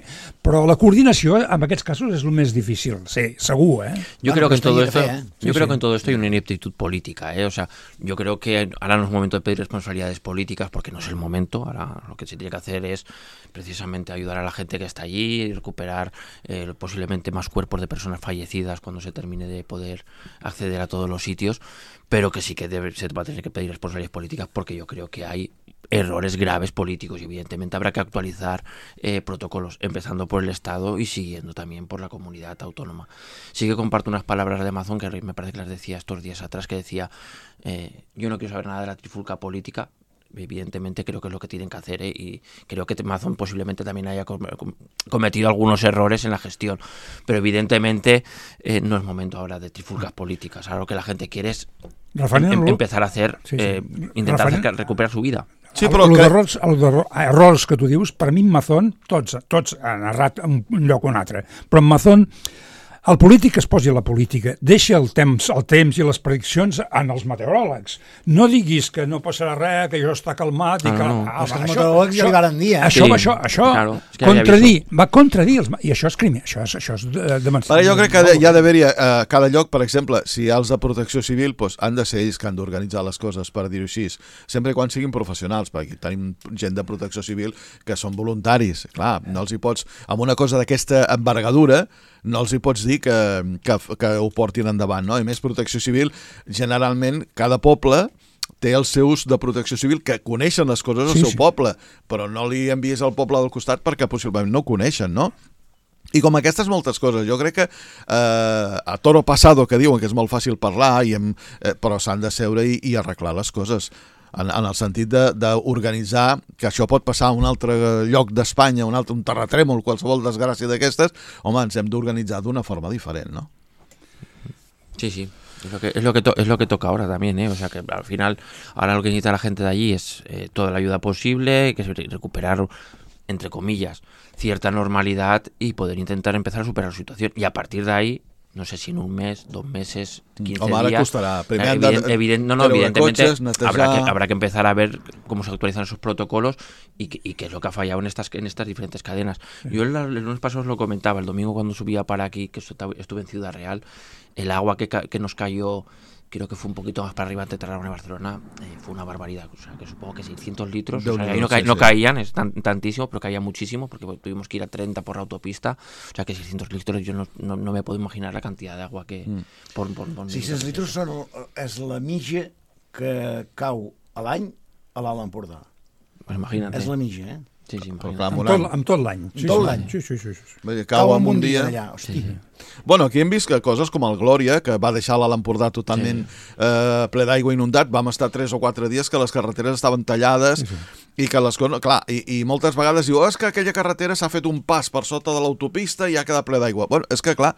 però la coordinació en aquests casos es lo más difícil, sí, seguro, ¿eh? Yo bueno, creo que en todo esto, ¿eh? yo sí, creo sí. que en todo esto hay una ineptitud política, ¿eh? O sea, yo creo que ahora no es momento de pedir responsabilidades políticas porque no es el momento. Ahora lo que se tiene que hacer es precisamente ayudar a la gente que está allí y recuperar eh, posiblemente más cuerpos de personas fallecidas cuando se termine de poder acceder a todos los sitios, pero que sí que debe, se va a tener que pedir responsabilidades políticas porque yo creo que hay errores graves políticos y evidentemente habrá que actualizar eh, protocolos, empezando por el Estado y siguiendo también por la comunidad autónoma. Sí que comparto unas palabras de Amazon que me parece que las decía estos días atrás, que decía eh, yo no quiero saber nada de la trifulca política. Evidentemente creo que es lo que tienen que hacer, ¿eh? Y creo que Amazon posiblemente también haya cometido algunos errores en la gestión, pero evidentemente eh, no es momento ahora de trifulcas políticas. Ahora lo que la gente quiere es em empezar a hacer, sí, sí. Eh, intentar hacer, recuperar su vida. Sí, però el, que... errors, el errors que tu dius, per mi en Amazon, tots, tots han errat en un lloc o un altre, però en Amazon el polític es posi a la política, deixa el temps, el temps i les prediccions en els meteoròlegs. No diguis que no passarà res, que això està calmat i Ah, que... no. Ah, Els va, meteoròlegs ja li varen dir, eh? Això, Sí, això, això claro, és que ja havia contradir, va contradir, els, i això és crim, això és, això és de, de Però jo crec que hi ha d'haver-hi a cada lloc, per exemple, si hi ha els de protecció civil, doncs han de ser ells que han d'organitzar les coses, per dir-ho així, sempre i quan siguin professionals, perquè tenim gent de protecció civil que són voluntaris. Clar, no els hi pots, amb una cosa d'aquesta envergadura, no els hi pots dir que, que, que ho portin endavant, no? I més protecció civil, generalment, cada poble té els seus de protecció civil que coneixen les coses al Sí, seu sí. poble, però no li envies al poble del costat perquè possiblement no ho coneixen, no? I com aquestes moltes coses, jo crec que eh, a toro pasado, que diuen que és molt fàcil parlar, i hem, eh, però s'han de seure i, i arreglar les coses. En, en el sentit d'organitzar que això pot passar a un altre lloc d'Espanya, un altre un terratrèmol, qualsevol desgràcia d'aquestes, home, ens hem d'organitzar d'una forma diferent, no? Sí, sí. Es lo que es lo que to- es lo que toca ahora también, ¿eh? O sea que al final ahora lo que necesita la gente de allí es eh, toda la ayuda posible, que es re- recuperar entre comillas cierta normalidad y poder intentar empezar a superar la situación, y a partir de ahí no sé si en un mes, dos meses, quince Home, ara días. costarà. Primer eh, han de evident- evident- no, no, treure evidentemente cotxes, netejar. habrá que habrá que empezar a ver cómo se actualizan esos protocolos y, que- y qué es lo que ha fallado en estas en estas diferentes cadenas. Yo el, el lunes pasado os lo comentaba, el domingo cuando subía para aquí, que estu- estuve en Ciudad Real, el agua que, ca- que nos cayó, creo que fue un poquito más para arriba entre Tarragona y Barcelona, eh, fue una barbaridad. O sea, que supongo que seiscientos litros, o sea, Déu-n'hi-do, ahí no, ca- sí, no sí. caían, es tan- tantísimo, pero caía muchísimo, porque bueno, tuvimos que ir a treinta por la autopista. O sea, que seiscientos litros, yo no, no, no me puedo imaginar la cantidad de agua que... Mm. Por, por, por sis-cents litres són, el- és la mitja que cau a l'any a l'Alt Empordà. Pues imagínate. És la mitja, eh? Sí, sí, Però imagínate. clar, Amb un tot, any. amb tot l'any. Sí, tot sí, l'any. Sí, sí, sí, sí. Vull dir, cau en un dia. allà, hosti. Sí, sí. Bueno, aquí hem vist que coses com el Glòria, que va deixar l'Alt Empordà totalment sí. eh, ple d'aigua inundat, vam estar tres o quatre dies que les carreteres estaven tallades, sí, sí. i que les coses... Clar, i, i moltes vegades diu, oh, és que aquella carretera s'ha fet un pas per sota de l'autopista i ha quedat ple d'aigua. Bueno, és que clar,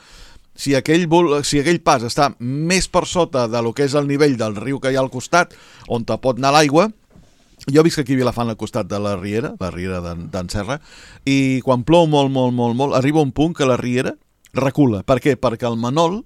si aquell, vol- si aquell pas està més per sota de lo que és el nivell del riu que hi ha al costat, on te pot anar l'aigua, jo visc aquí a Vilafant al costat de la Riera, la Riera d'en d'en Serra, i quan plou molt, molt, molt, molt, arriba un punt que la Riera recula. Per què? Perquè el Manol,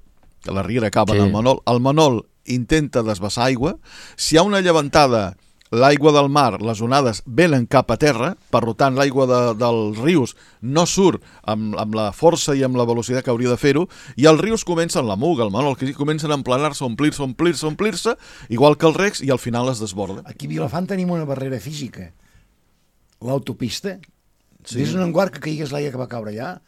que la Riera acaba Sí. en el Manol, el Manol intenta desbassar aigua, si hi ha una llevantada, l'aigua del mar, les onades venen cap a terra, per tant l'aigua de, dels rius no surt amb, amb la força i amb la velocitat que hauria de fer-ho, i els rius comencen, la Muga, el Manol, que comencen a emplenar-se, omplir-se, omplir-se, omplir-se, igual que els recs, i al final es desborden. Aquí a Vilafant tenim una barrera física. L'autopista, Sí. sí. Des d'un guard que caigués l'aigua que va caure allà,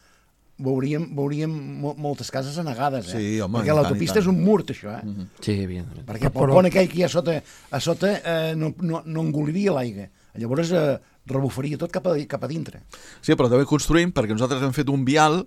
veuríem, veuríem mo moltes cases anegades, eh? Sí, home, i perquè tant, l'autopista i tant. és un murt, això, eh? Mhm. Sí, evidentemente. Perquè el Però- pont aquell que hi ha a sota, a sota eh, no, no, no engoliria l'aigua. Llavors eh, rebufaria tot cap a, cap a dintre. Sí, però també construïm perquè nosaltres hem fet un vial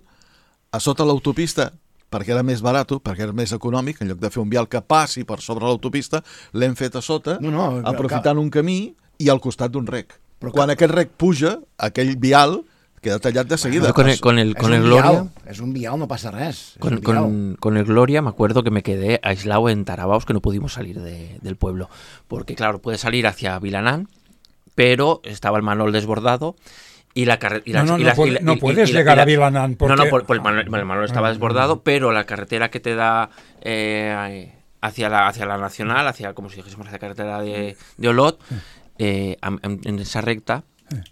a sota l'autopista perquè era més barat, perquè era més econòmic, en lloc de fer un vial que passi per sobre l'autopista, l'hem fet a sota, No, no, aprofitant un camí i al costat d'un rec. Però Quan que- aquest rec puja, aquell vial queda tallat de seguida. Yo con el, con el, És con un el Gloria... vial, és un vial, no passa res. És Con, un vial. con, con el Gloria me acuerdo que me quedé aislado en Tarabaos, que no pudimos salir de- del pueblo. Porque, claro, puedes salir hacia Vilanán, pero estaba el Manol desbordado y la carretera... No, no, no puede- no puedes llegar a Vilanán No, no, porque- por, por el, Manol, el Manol estaba Ah, desbordado, pero la carretera que te da eh, hacia, la, hacia la Nacional, hacia, como si dijésemos, hacia la carretera de, de Olot, eh, am- en, en esa recta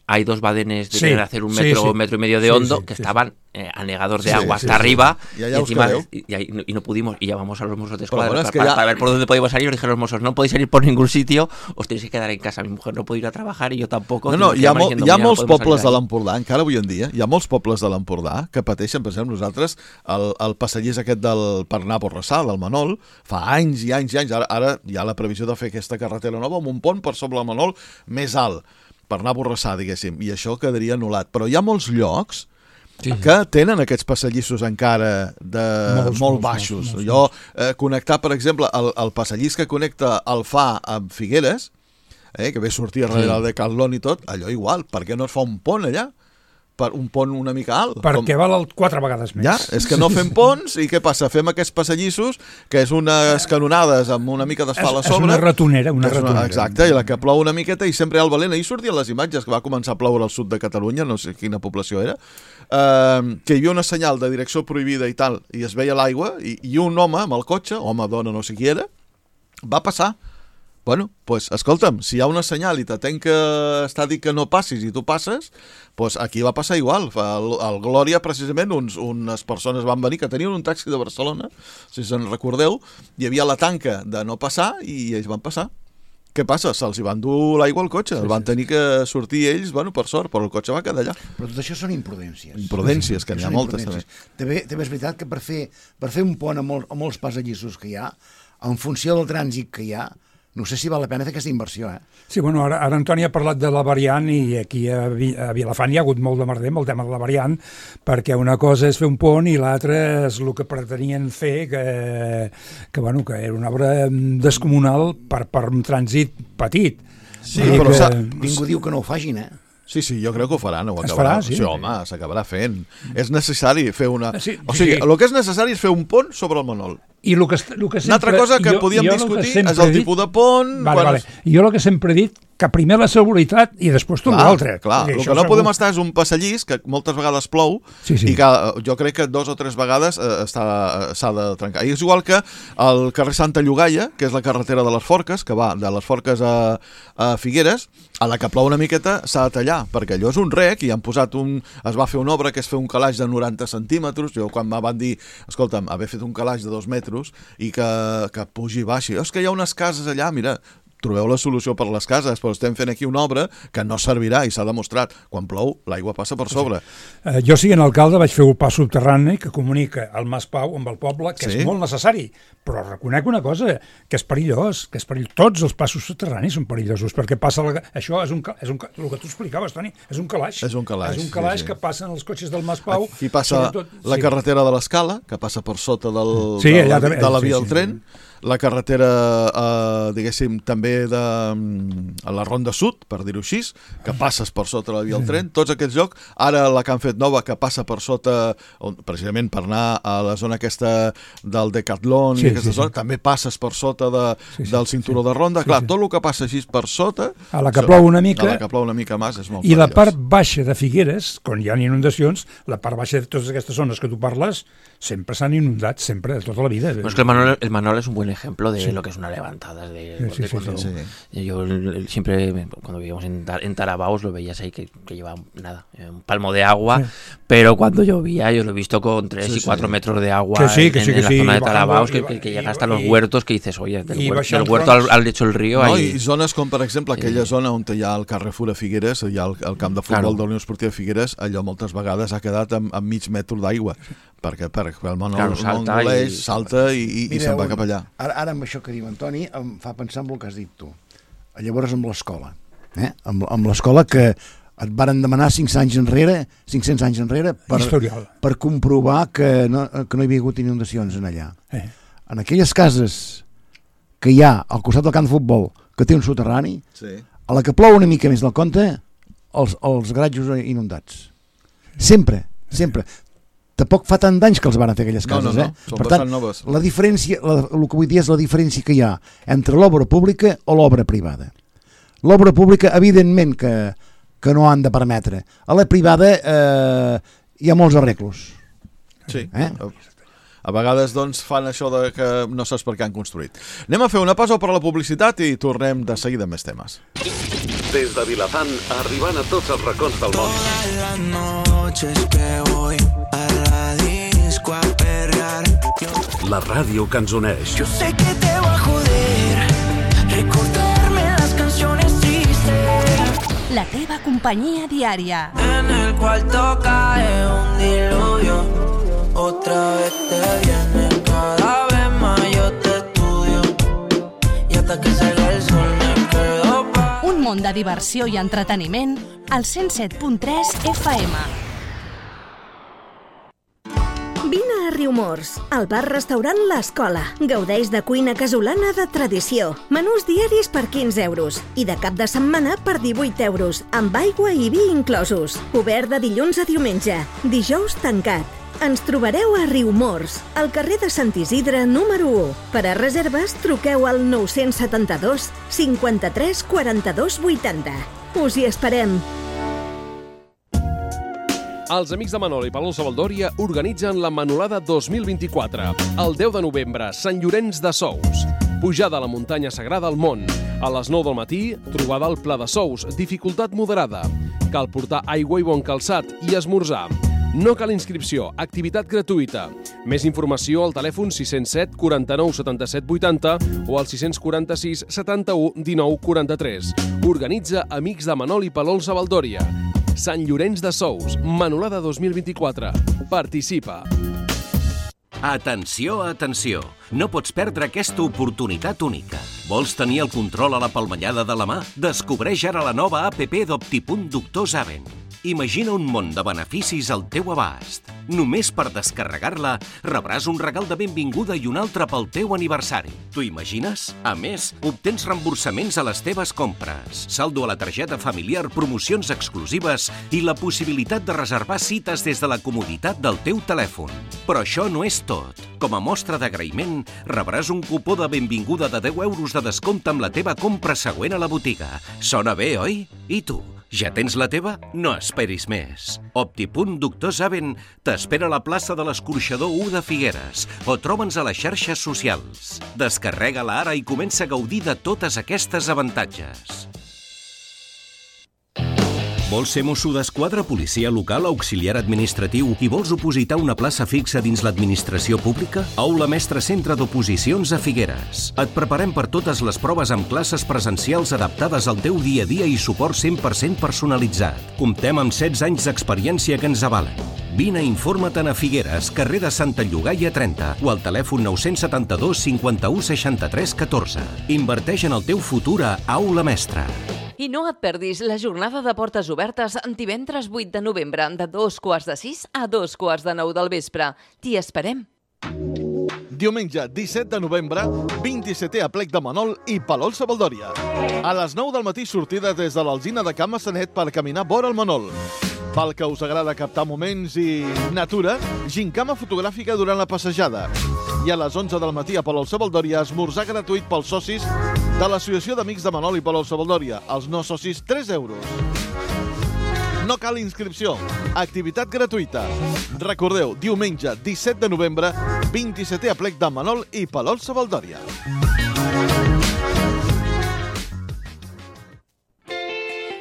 hay dos badenes de Sí, tener hacer un sí, metro, sí. metro y medio de Sí, hondo sí, que sí, estaban eh, anegados de Sí, agua sí, hasta sí. arriba I allà y, us encima, quedeu. y, y ahí- y no pudimos y llamamos a los mozos de Però escuadra bueno, para, és que para- ja- para ver por dónde podíamos salir. Nos dijeron los mozos, no podéis salir por ningún sitio, os tenéis que quedar en casa. Mi mujer no puede ir a trabajar y yo tampoco. No, no, Nos hi ha, quedamos mol, diciendo, hi ha "Mira, no molts podemos pobles de salir de l'Empordà, encara avui en dia, hi ha molts pobles de l'Empordà que pateixen, per exemple, nosaltres, el, el passallís aquest del per anar a Borrassà, del Manol, fa anys i anys i anys, ara, ara hi ha la previsió de fer aquesta carretera nova amb un pont per sobre el Manol més alt, per anar a Borrassà, diguéssim, i això quedaria anul·lat. Però hi ha molts llocs Sí. que tenen aquests passadissos encara de Molts, molt molts, baixos. molts, molts, Jo, eh, connectar, per exemple, el, el passadís que connecta el Fa amb Figueres, eh, que ve sortir darrere Sí. de Catlon i tot, allò igual, per què no es fa un pont allà? per un pont una mica alt. Perquè com... val quatre vegades més. Ja, és que no fem ponts i què passa? Fem aquests passadissos, que és unes canonades amb una mica d'asfalt a sobre. És una ratonera, una és una, ratonera. Exacte, i la que plou una miqueta i sempre hi ha el valent. Ahir sortien les imatges que va començar a ploure al sud de Catalunya, no sé quina població era, eh, que hi havia una senyal de direcció prohibida i tal, i es veia l'aigua, i, i un home amb el cotxe, home, dona, no sé qui era, va passar. Bueno, pues, escolta'm, si hi ha una senyal i t'atenc que està dit que no passis i tu passes, pues aquí va passar igual. Al, al Glòria, precisament, uns, unes persones van venir que tenien un taxi de Barcelona, si se'n recordeu, hi havia la tanca de no passar i ells van passar. Què passa? Se'ls hi van dur l'aigua al cotxe, sí, sí. Van tenir que sortir ells, bueno, per sort, però el cotxe va quedar allà. Però tot això són imprudències. Imprudències, que n'hi ha moltes, també. també. També és veritat que per fer, per fer un pont a, molt, a molts passadissos que hi ha, en funció del trànsit que hi ha, no sé si val la pena fer aquesta inversió, eh? Sí, bueno, ara, ara Antoni ha parlat de la variant i aquí a, a Vilafant hi ha hagut molt de merder amb el tema de la variant, perquè una cosa és fer un pont i l'altra és el que pretenien fer, que, que, bueno, que era una obra descomunal per, per un trànsit petit. Sí, però que... ningú diu que no ho facin, eh? Sí, sí, jo crec que ho faran, ho es acabarà. Farà, sí. Sí, home, s'acabarà fent. És necessari fer una... Sí, sí, o sigui, sí. el que és necessari és fer un pont sobre el Manol. I el que, el que sempre... Una altra cosa que jo, podíem jo discutir que és el dit... tipus de pont... Vale, quan vale. es... Jo el que sempre he dit, que primer la seguretat i després tot l'altre. Clar, el que no segur. Podem estar és un passallís que moltes vegades plou sí, sí. i que jo crec que dos o tres vegades eh, s'ha de trencar. I és igual que el carrer Santa Llogaia, que és la carretera de les Forques, que va de les Forques a, a Figueres, a la que plou una miqueta s'ha de tallar, perquè allò és un rec i han posat un... es va fer una obra que és fer un calaix de noranta centímetres. Jo quan me van dir, escolta'm, haver fet un calaix de dos metres i que, que pugi i baixi, és que hi ha unes cases allà, mira, trobeu la solució per les cases, però estem fent aquí una obra que no servirà i s'ha demostrat. Quan plou, l'aigua passa per sobre. Uh, jo, siguent alcalde, vaig fer un pas subterrani que comunica el Mas Pau amb el poble, que sí? És molt necessari, però reconec una cosa, que és perillós, que és perill... tots els passos subterranis són perillosos, perquè passa... La... Això és un, és un... el que tu explicaves, Toni, és un calaix. És un calaix, és un calaix sí, sí. que passen els cotxes del Mas Pau... Aquí passa sobretot... la sí. carretera de l'Escala, que passa per sota del, sí, de, la, també... de la via sí, del tren, sí. La carretera, eh, diguéssim, també de a la Ronda Sud, per dir-ho així, que passes per sota la via del tren, tots aquests llocs, ara la que han fet nova, que passa per sota, on, precisament per anar a la zona aquesta del Decathlon, sí, i aquesta sí, zona, sí. També passes per sota de, sí, sí, del cinturó sí, de ronda, sí, clar, sí. Tot el que passa així per sota... A la que plou una mica... A la que plou una mica més és molt I perillós. La part baixa de Figueres, quan hi ha inundacions, la part baixa de totes aquestes zones que tu parles, sempre s'han inundat, sempre, de tota la vida. Pues que el Manol, el Manol es un buen ejemplo de sí. lo que es una levantada. De, sí, de sí, cuando, sí, sí. Yo siempre, cuando vivíamos en, en Tarabaos, lo veías ahí que, que llevaba nada, un palmo de agua, sí. Pero cuando llovía, yo lo he visto con tres sí, y cuatro sí. metros de agua que sí, que en, sí, que en la sí, zona de bajando, Tarabaos, que, y, que, que y, llega hasta y, los huertos, que dices, oye, del, y huer, del huerto al, al lecho del río... No, ahí... I zones com, per exemple, aquella sí. zona on hi ha el Carrefour a Figueres, hi ha el, el camp de futbol claro. de la Unió Esportiva Figueres, allò moltes vegades ha quedat amb, amb mig metre d'aigua, perquè, perquè el món claro, salta, i, salta i, i, i se'n va cap allà. Ara, ara amb això que diu Antoni, em fa pensar en el que has dit tu. Llavors amb l'escola, eh? amb, amb l'escola que et varen demanar cinc anys enrere, cinc-cents anys enrere, per, per comprovar que no, que no hi havia hagut inundacions en allà. Eh. En aquelles cases que hi ha al costat del camp de futbol, que té un soterrani, sí. A la que plou una mica més del compte, els, els garatjos inundats. Sempre, sempre. Tampoc fa tant d'anys que els van fer aquelles cases. No, no, no. Eh? Per tant, noves. La diferència, la, el que vull dir és la diferència que hi ha entre l'obra pública o l'obra privada. L'obra pública, evidentment que que no han de permetre. A la privada eh, hi ha molts arreglos. Sí. Eh? A vegades doncs, fan això de que no saps per què han construït. Anem a fer una pausa per a la publicitat i tornem de seguida amb més temes. Des de Vilafant, arribant a tots els racons del món. Todas las noches que voy a la disco a perrear. La ràdio que ens uneix. Yo sé que te va a joder recordarme las canciones tristes. La teva companyia diària. En el cuarto cae un diluvio. Otra vez te viene, cada vez más yo te estudio. Y hasta que salga el sol me quedo pa... Un món de diversió i entreteniment al cent set punt tres F M. Vine a Riumors, al bar-restaurant L'Escola. Gaudeix de cuina casolana de tradició. Menús diaris per quinze euros i de cap de setmana per divuit euros, amb aigua i vi inclosos. Obert de dilluns a diumenge, dijous tancat. Ens trobareu a Riumors, al carrer de Sant Isidre número u. Per a reserves, truqueu al nou-cents setanta-dos cinquanta-tres quaranta-dos vuitanta. Us hi esperem. Els amics de Manol i Palol Savaldòria organitzen la Manolada dos mil vint-i-quatre. El deu de novembre, Sant Llorenç de Sous. Pujada a la muntanya sagrada al món. A les nou del matí, trobada al Pla de Sous, dificultat moderada. Cal portar aigua i bon calçat i esmorzar. No cal inscripció, activitat gratuïta. Més informació al telèfon sis zero set quaranta-nou setanta-set vuitanta o al sis quaranta sis setanta-u dinou quaranta-tres. Organitza Amics de Manol i Palol Savaldòria. Sant Llorenç de Sous, Manolada dos mil vint-i-quatre. Participa. Atenció, atenció! No pots perdre aquesta oportunitat única. Vols tenir el control a la palmellada de la mà? Descobreix ara la nova app d'Optipunt Doctor Saben. Imagina un món de beneficis al teu abast. Només per descarregar-la rebràs un regal de benvinguda i un altre pel teu aniversari. T'ho imagines? A més, obtens reemborsaments a les teves compres, saldo a la targeta familiar, promocions exclusives i la possibilitat de reservar cites des de la comoditat del teu telèfon. Però això no és tot. Com a mostra d'agraïment, rebràs un cupó de benvinguda de deu euros de descompte amb la teva compra següent a la botiga. Sona bé, oi? I tu? Ja tens la teva? No esperis més. Optipunt Doctor Saben t'espera a la plaça de l'Escorxador u de Figueres o troba'ns a les xarxes socials. Descarrega-la ara i comença a gaudir de totes aquestes avantatges. Vols ser mosso d'esquadra, policia local, auxiliar administratiu i vols opositar una plaça fixa dins l'administració pública? Aula Mestre Centre d'Oposicions a Figueres. Et preparem per totes les proves amb classes presencials adaptades al teu dia a dia i suport cent per cent personalitzat. Comptem amb setze anys d'experiència que ens avalen. Vine i informa-te'n a Figueres, carrer de Santa Llogaia trenta o al telèfon nou set dos cinquanta-u seixanta-tres catorze. Inverteix en el teu futur a Aula Mestre. I no et perdis la jornada de portes obertes divendres vuit de novembre de dos quarts de sis a dos quarts de nou del vespre. T'hi esperem. Diumenge disset de novembre, vint-i-setè aplec de Manol i Palol Savaldòria. A les nou del matí sortida des de l'Alzina de Can Massanet per caminar vora el Manol. Pel que us agrada captar moments i natura, gincama fotogràfica durant la passejada. I a les onze del matí a Palol Savaldòria, esmorzar gratuït pels socis de l'Associació d'Amics de Manol i Palol Savaldòria. Els no socis, tres euros. No cal inscripció. Activitat gratuïta. Recordeu, diumenge disset de novembre, vint-i-setè aplec de Manol i Palol Savaldòria.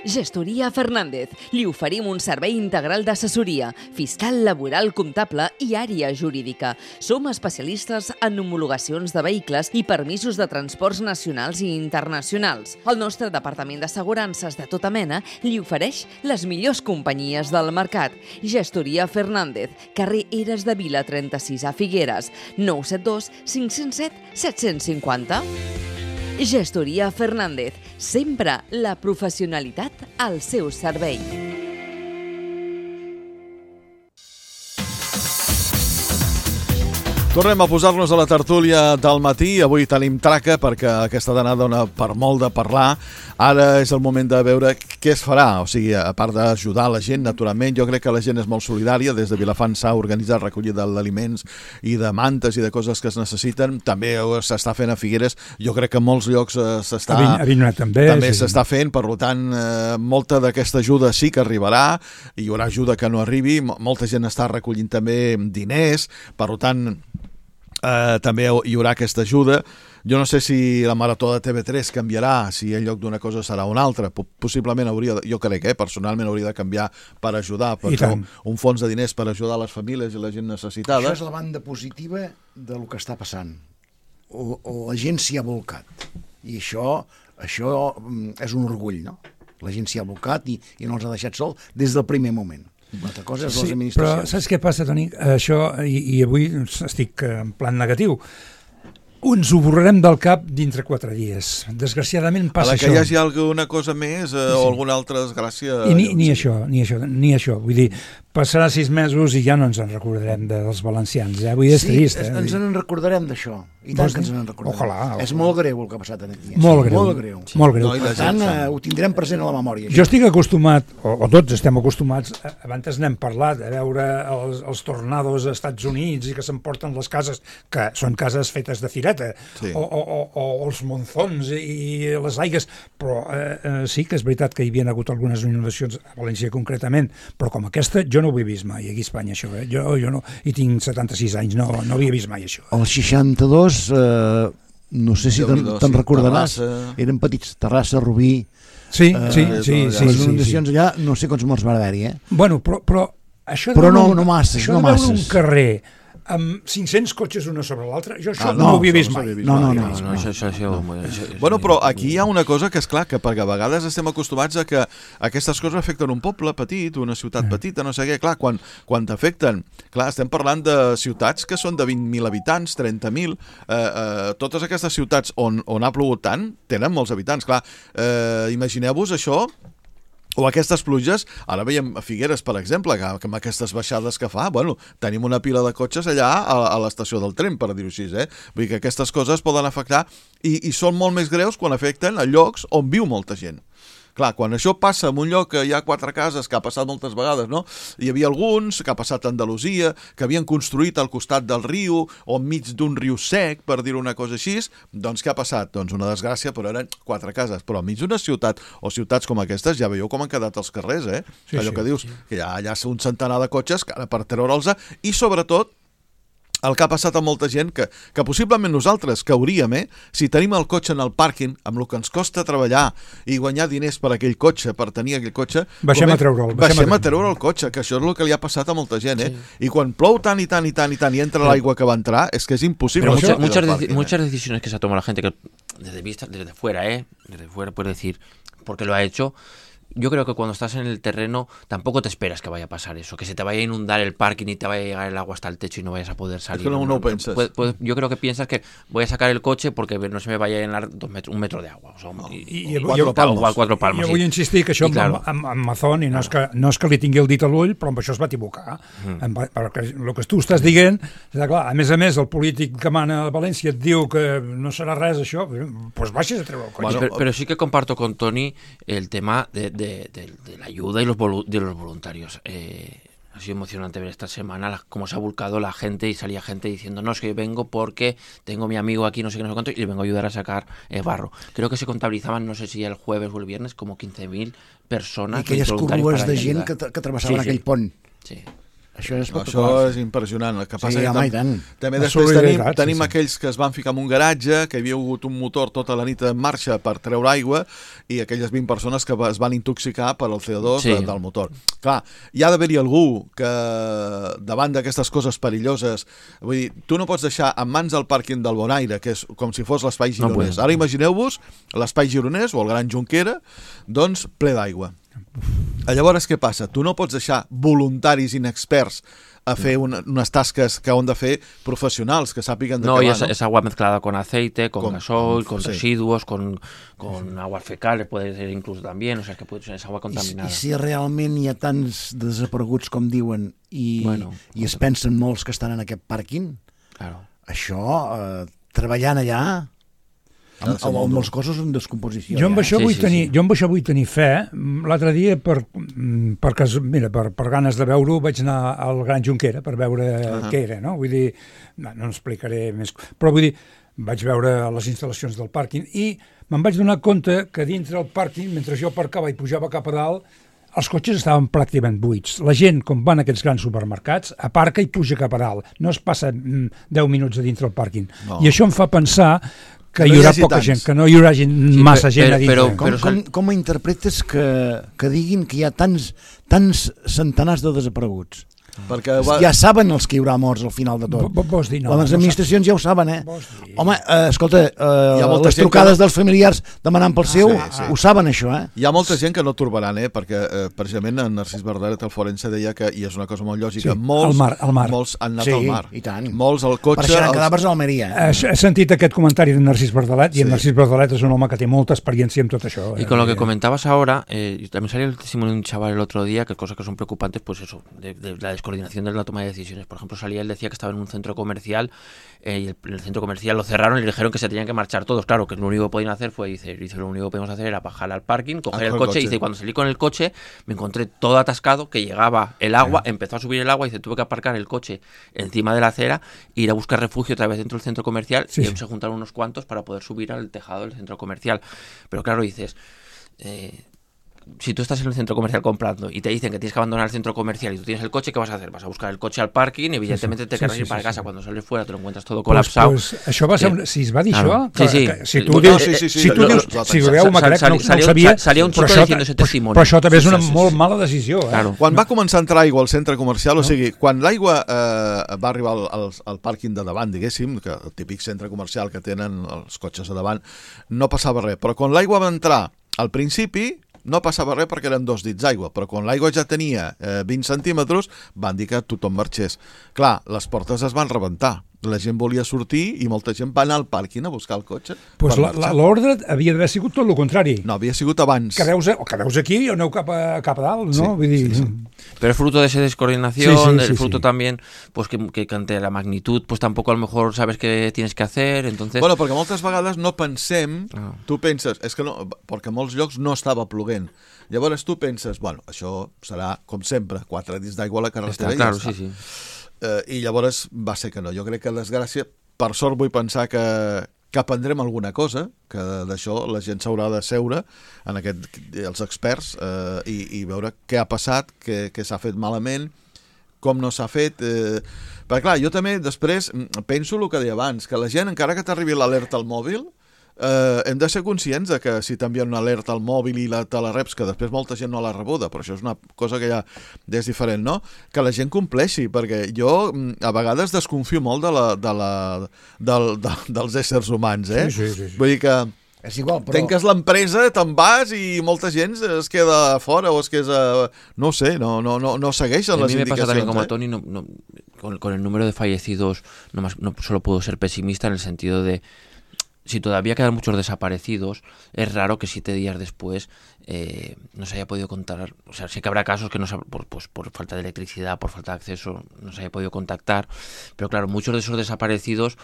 Gestoria Fernández. Li oferim un servei integral d'assessoria, fiscal, laboral, comptable i àrea jurídica. Som especialistes en homologacions de vehicles i permisos de transports nacionals i internacionals. El nostre departament d'assegurances de tota mena li ofereix les millors companyies del mercat. Gestoria Fernández, carrer Eres de Vila trenta-sis a Figueres, nou set dos cinc zero set set cinc zero. Gestoria Fernández, sempre la professionalitat al seu servei. Tornem a posar-nos a la tertúlia del matí. Avui tenim traca perquè aquesta danada dona per molt de parlar. Ara és el moment de veure què es farà. O sigui, a part d'ajudar la gent, naturalment, jo crec que la gent és molt solidària. Des de Vilafant s'ha organitzat recollida d'aliments i de mantes i de coses que es necessiten. També s'està fent a Figueres. Jo crec que en molts llocs s'està... A Avinyonat també. També sí. s'està fent. Per tant, eh, molta d'aquesta ajuda sí que arribarà. Hi haurà ajuda que no arribi. Molta gent està recollint també diners. Per tant... Uh, també hi haurà aquesta ajuda. Jo no sé si la marató de T V tres canviarà, si en lloc d'una cosa serà una altra. Possiblement hauria, de, jo crec, eh, personalment hauria de canviar per ajudar, per un, un fons de diners per ajudar les famílies i la gent necessitada. Això és la banda positiva del que està passant. O, o la gent s'hi ha volcat. I això, això és un orgull, no? La gent s'hi ha volcat i, i no els ha deixat sol des del primer moment. Una altra cosa és sí, les administracions. Però saps què passa, Toni? Això, i, i avui estic en plan negatiu, ens ho borrarem del cap dintre quatre dies. Desgraciadament passa això. A la que això. Hi hagi alguna cosa més eh, sí. o alguna altra desgràcia... I ni, ni això, ni això, ni això. Vull dir, passarà sis mesos i ja no ens en recordarem dels valencians, eh? Avui és sí, trist, eh? ens en recordarem d'això. I tant que ens en recordarem. Ojalà, ojalà. És molt greu el que ha passat aquí. Molt greu. Molt greu. Sí. Molt greu. No, per tant, eh, ho tindrem present a la memòria. Jo estic acostumat, o, o tots estem acostumats, abans n'hem parlat, a veure els, els tornados als Estats Units i que s'emporten les cases, que són cases fetes de fireta, sí. o, o, o, o els monzons i les aigues, però eh, eh, sí que és veritat que hi havia hagut algunes inundacions a València concretament, però com aquesta jo no ho he vist mai aquí a Espanya, això, eh? jo, jo no, i tinc setanta-sis anys, no, no havia vist mai això. El seixanta-dos, eh, no sé si te'n te recordaràs, Terrassa. Eren petits, Terrassa, Rubí... Sí, eh, sí, sí, sí. Les inundacions sí, sí. allà, no sé quants morts va haver-hi, eh? Bueno, però, però això però de no, un, no masses, això no de veure masses. un carrer amb cinc-cents cotxes una sobre l'altra, jo això ah, no, no ho havia vist mai. No, no, no. no, no, això, això, això, això, bueno, però aquí hi ha una cosa que és clar, que perquè a vegades estem acostumats a que aquestes coses afecten un poble petit, una ciutat petita, no sé què, clar, quan, quan t'afecten, clar, estem parlant de ciutats que són de vint mil habitants, trenta mil, eh, eh, totes aquestes ciutats on, on ha plogut tant, tenen molts habitants, clar, eh, imagineu-vos això, o aquestes pluges, ara veiem a Figueres, per exemple, que, que amb aquestes baixades que fa, bueno, tenim una pila de cotxes allà a, a l'estació del tren, per dir-ho així, eh? Vull dir que aquestes coses poden afectar i, i són molt més greus quan afecten a llocs on viu molta gent. Clar, quan això passa en un lloc que hi ha quatre cases, que ha passat moltes vegades, no? Hi havia alguns, que ha passat a Andalusia, que havien construït al costat del riu o enmig d'un riu sec, per dir una cosa així, doncs què ha passat? Doncs una desgràcia, però eren quatre cases. Però enmig d'una ciutat o ciutats com aquestes ja veieu com han quedat els carrers, eh? Sí, allò sí, que dius, sí. que hi ha, hi ha un centenar de cotxes que ara per treure'ls, i sobretot el que ha passat a molta gent, que, que possiblement nosaltres cauríem, eh? Si tenim el cotxe en el pàrquing, amb el que ens costa treballar i guanyar diners per aquell cotxe, per tenir aquell cotxe... Baixem a treure'l. Baixem, baixem a treure el cotxe, que això és el que li ha passat a molta gent, eh? Sí. I quan plou tant i tant i tant i tant i entra l'aigua que va entrar, és que és impossible. Pero muchas, muchas, parking, muchas eh? decisiones que se ha tomado la gente, que desde, vista, desde fuera, ¿eh? Desde fuera puedes decir, porque lo ha hecho... Yo creo que cuando estás en el terreno tampoco te esperas que vaya a pasar eso, que se te vaya a inundar el parking y te vaya a llegar el agua hasta el techo y no vayas a poder salir. Es que no, no pensas. Pues, pues, yo creo que piensas que voy a sacar el coche porque no se me vaya a llenar dos metros, un metro de agua. O sea, no, y, i, o, cuatro, jo, palmos. o cuatro palmos. Jo vull sí. insistir que això I, claro, amb, amb, amb Mazón, i no, claro. és que, no és que li tingui el dit a l'ull, però amb això es va equivocar. Mm. Perquè el que tu estàs dient, clar, a més a més, el polític que mana a València et diu que no serà res això, doncs baixes a treure el cotxe. Bueno, pero, pero sí que comparto con Toni el tema de, de, de, de la ayuda y los voluntarios. de los voluntarios. Eh, ha sido emocionante ver esta semana la, cómo se ha volcado la gente y salía gente diciendo no, es que yo vengo porque tengo mi amigo aquí, no sé qué, no sé cuánto, y le vengo a ayudar a sacar eh, barro. Creo que se contabilizaban, no sé si el jueves o el viernes, como quince mil persones. I aquelles curves de gent que, que travessaven sí, aquell sí. pont. Sí. Això és, això és impressionant. El que passa sí, que home, tam també després tenim, tenim sí, sí. aquells que es van ficar en un garatge, que hi havia hagut un motor tota la nit en marxa per treure aigua, i aquelles vint persones que es van intoxicar per el C O dos sí. de, del motor. Clar, hi ha d'haver-hi algú que davant d'aquestes coses perilloses, vull dir, tu no pots deixar en mans del pàrquing del Bonaire, que és com si fos l'espai gironès. No, ara imagineu-vos l'espai gironès o el Gran Junquera, doncs ple d'aigua. Llavors què passa? Tu no pots deixar voluntaris inexperts a fer una, unas tasques que han de fer profesionals, que sàpiguen de no, què va, va, ¿no? Es agua mezclada con aceite, con, con gasoil, con sí. residuos, con, con aguas fecales, puede ser incluso también, o sea, que puede ser agua contaminada. I, i si realment hi ha tants desapareguts com diuen i, bueno, i es pensen molts que estan en aquest pàrquing, claro. això, eh, treballant allà... Amb, amb, amb els cossos en descomposició. Jo amb, ja. això sí, vull sí, tenir, sí. jo amb això vull tenir fe. L'altre dia, per, per, mira, per, per ganes de veure-ho, vaig anar al Gran Junquera per veure uh-huh. què era, no? Vull dir, no, no explicaré més, però vull dir, vaig veure les instal·lacions del pàrquing i me'n vaig donar compte que dintre el pàrquing, mentre jo aparcava i pujava cap a dalt, els cotxes estaven pràcticament buits. La gent, com van a aquests grans supermercats, aparca i puja cap a dalt. No es passa deu minuts a dintre el pàrquing. No. I això em fa pensar que no hi haurà hi poca tants. gent, que no hi haurà gent, sí, massa però, gent a dintre. Però, però, com, com, com interpretes que, que diguin que hi ha tants, tants centenars de desapareguts? Perquè va... Ja saben els que hi haurà morts al final de tot. Vols dir, no. Les administracions ja ho saben, eh? Home, eh, escolta, eh, les trucades dels familiars demanant pel seu, ho saben això, eh? Hi ha molta gent que no turbaran, eh? Perquè eh, precisament en Narcís Verdaret, el forense, deia que, i és una cosa molt lògica, Sí, molts, al mar, al mar. molts han anat Sí, al mar. i tant. Molts al cotxe... Per això eren els- cadàvers a Almeria. He, he sentit aquest comentari de Narcís Verdalet i Sí. en Narcís Verdalet és un home que té molta experiència en tot això. Y con lo que comentabas ahora, eh, y también salió el testimonio de un chaval el otro día, que cosas que son preocupantes, pues eso, de, de la descoordinación de la toma de decisiones. Por ejemplo, salía, él decía que estaba en un centro comercial eh, y el, el centro comercial lo cerraron y le dijeron que se tenían que marchar todos. Claro, que lo único que podían hacer fue, dice, dice lo único que podíamos hacer era bajar al parking, coger Ah, el con el coche, coche. y dice, y cuando salí con el coche me encontré todo atascado, que llegaba el agua, Sí. empezó a subir el agua y dice, tuve que aparcar el coche encima de la acera e ir a buscar refugio otra vez dentro del centro comercial Sí, y sí. se juntaron unos cuantos para poder subir al tejado del centro comercial. Pero claro, dices... Eh, si tú estás en el centro comercial comprando y te dicen que tienes que abandonar el centro comercial y tú tienes el coche, ¿qué vas a hacer? Vas a buscar el coche al parking y evidentemente Sí, sí. te querrás Sí, ir sí, para sí, casa. sí. Cuando sales fuera te lo encuentras todo Pues, colapsado. pues, això va ser un, Eh, si es va dir claro. això, que, Sí, sí. que, si tu No, dius, sí, sí, sí, si tu lo- dius, lo- si lo- veieu, m'ha crec, no, no ho salió- sabia, salió un però chico això, diciendo ese però, testimonio. però això també és Sí, una sí, sí, molt sí. mala decisió. Eh? Claro. Quan va començar a entrar aigua al centre comercial, o sigui, quan l'aigua eh, va arribar al, al, al pàrquing de davant, diguéssim, que el típic centre comercial que tenen els cotxes a davant, no passava res. Però quan l'aigua va entrar al principi, no passava res perquè eren dos dits d'aigua, però quan l'aigua ja tenia eh, vint centímetres, van dir que tothom marxés. Clar, les portes es van rebentar. La gent volia sortir i molta gent va anar al pàrquing a buscar el cotxe. Pues per la- la- marxar. l'ordre havia d'haver sigut tot el contrari. No, havia sigut abans. Quedeu-vos, quedeu aquí i aneu cap a, cap a dalt, no? Sí, Vull dir, sí, sí. Pero es fruto de esa descoordinación, Sí, sí, el sí, fruto sí. también, pues que, que ante la magnitud, pues tampoco a lo mejor sabes qué tienes que hacer, entonces... Bueno, perquè moltes vegades no pensem, Ah. tu penses, és que no, perquè a molts llocs no estava ploguent. Llavors tu penses, bueno, això serà, com sempre, quatre dits d'aigua a la carretera Està, i claro, ja està. sí, sí. Eh, I llavors va ser que no. Jo crec que, desgràcia, per sort vull pensar que, que aprendrem alguna cosa, que d'això la gent s'haurà de seure, en aquest, els experts, eh, i, i veure què ha passat, què, què s'ha fet malament, com no s'ha fet... Eh, perquè clar, jo també després penso el que deia abans, que la gent, encara que t'arribi l'alerta al mòbil, eh, hem de ser conscients de que si t'envien una alerta al mòbil i la, te la reps, que després molta gent no l'ha rebuda, però això és una cosa que ja és diferent, no? Que la gent compleixi, perquè jo mm, a vegades desconfio molt de la, de la, del, de, dels éssers humans, eh? Sí, sí, sí, sí. Vull dir que És igual, però... tenques l'empresa, te'n vas i molta gent es queda fora o es queda... No sé, no, no, no, no segueixen A les mí me pasa indicacions. también como eh? a Tony, no, no, con, con el número de fallecidos, no, más, no solo puedo ser pesimista en el sentido de, si todavía quedan muchos desaparecidos, es raro que siete días después eh, no se haya podido contar. O sea, sí que habrá casos que no se, por, pues, por falta de electricidad, por falta de acceso, no se haya podido contactar, pero claro, muchos de esos desaparecidos...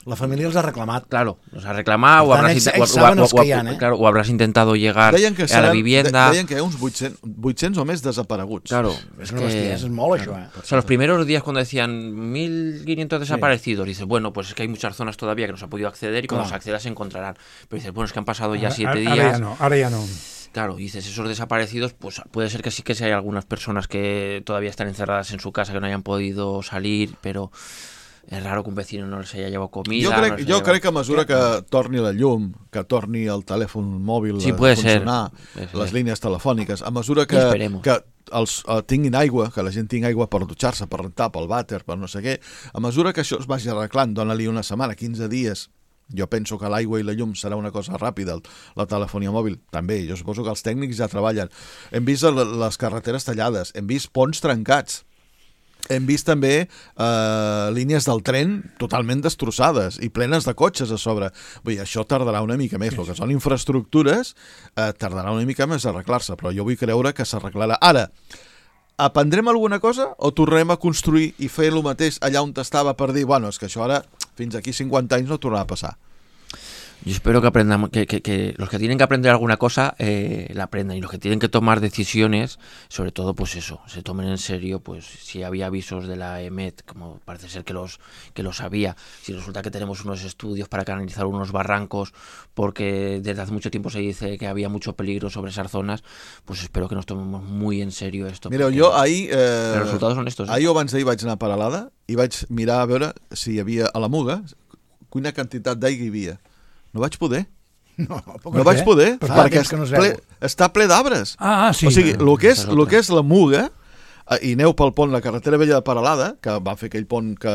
La família els ha reclamat. Claro, los ha reclamado, o Per tant, habrás, ells- inte- o- ells o- saben o- els o- que hi ha, eh? claro, o habrás intentado llegar Deien que a la seran, vivienda... de, deien que hi ha uns vuit-cents, vuit-cents o més desapareguts. Claro, És una bestiesa, és molt això, eh? O sea, los primeros días cuando decían mil quinientos desaparecidos, dices, bueno, pues es que hay muchas zonas todavía que no se ha podido acceder y cuando Claro. se acceda se encontrarán. Pero dices, bueno, es que han pasado ya Ara- siete ara días. ja no, ara ja no. Claro, y dices, esos desaparecidos, pues puede ser que sí que sí hay algunas personas que todavía están encerradas en su casa, que no hayan podido salir, pero es raro que un vecino no les haya llevado comida. Jo no crec, les jo haya crec que a llevado- mesura que torni la llum, que torni el telèfon mòbil Sí, a puede ser. funcionar, Puede ser. les línies telefòniques, a mesura que, Esperemos. que els uh, tinguin aigua, que la gent tingui aigua per dutxar-se, per rentar, pel vàter, per no sé què, a mesura que això es vagi arreglant, dona-li una setmana, quinze dies, jo penso que l'aigua i la llum serà una cosa ràpida, el- la telefonia mòbil també, jo suposo que els tècnics ja treballen. Hem vist el- les carreteres tallades, hem vist ponts trencats, hem vist també eh, línies del tren totalment destrossades i plenes de cotxes a sobre. Vull dir, això tardarà una mica més. El que són infraestructures eh, tardarà una mica més a arreglar-se, però jo vull creure que s'arreglarà. Ara, aprendrem alguna cosa o tornarem a construir i fer el mateix allà on estava per dir, bueno, és que això ara fins aquí cinquanta anys no tornarà a passar? Yo espero que aprendan, que, que, que los que tienen que aprender alguna cosa eh, la aprendan, y los que tienen que tomar decisiones, sobre todo pues eso, se tomen en serio, pues si había avisos de la E M E T, como parece ser que los que los había, si resulta que tenemos unos estudios para canalizar unos barrancos porque desde hace mucho tiempo se dice que había mucho peligro sobre esas zonas, pues espero que nos tomemos muy en serio esto. Mireu, porque jo ahir... Eh, los resultados son estos. ¿eh? Ahir o abans d'ahir vaig anar a Peralada i vaig mirar a veure si hi havia a la Muga quina quantitat d'aigua hi havia. No vaig poder. No, No vaig poder, Fa perquè temps que no es ple, veu. està ple d'arbres. Ah, ah, sí. O sigui, el que és, Esa es el otra. que és la Muga i aneu pel pont, la carretera vella de Peralada, que va fer aquell pont que,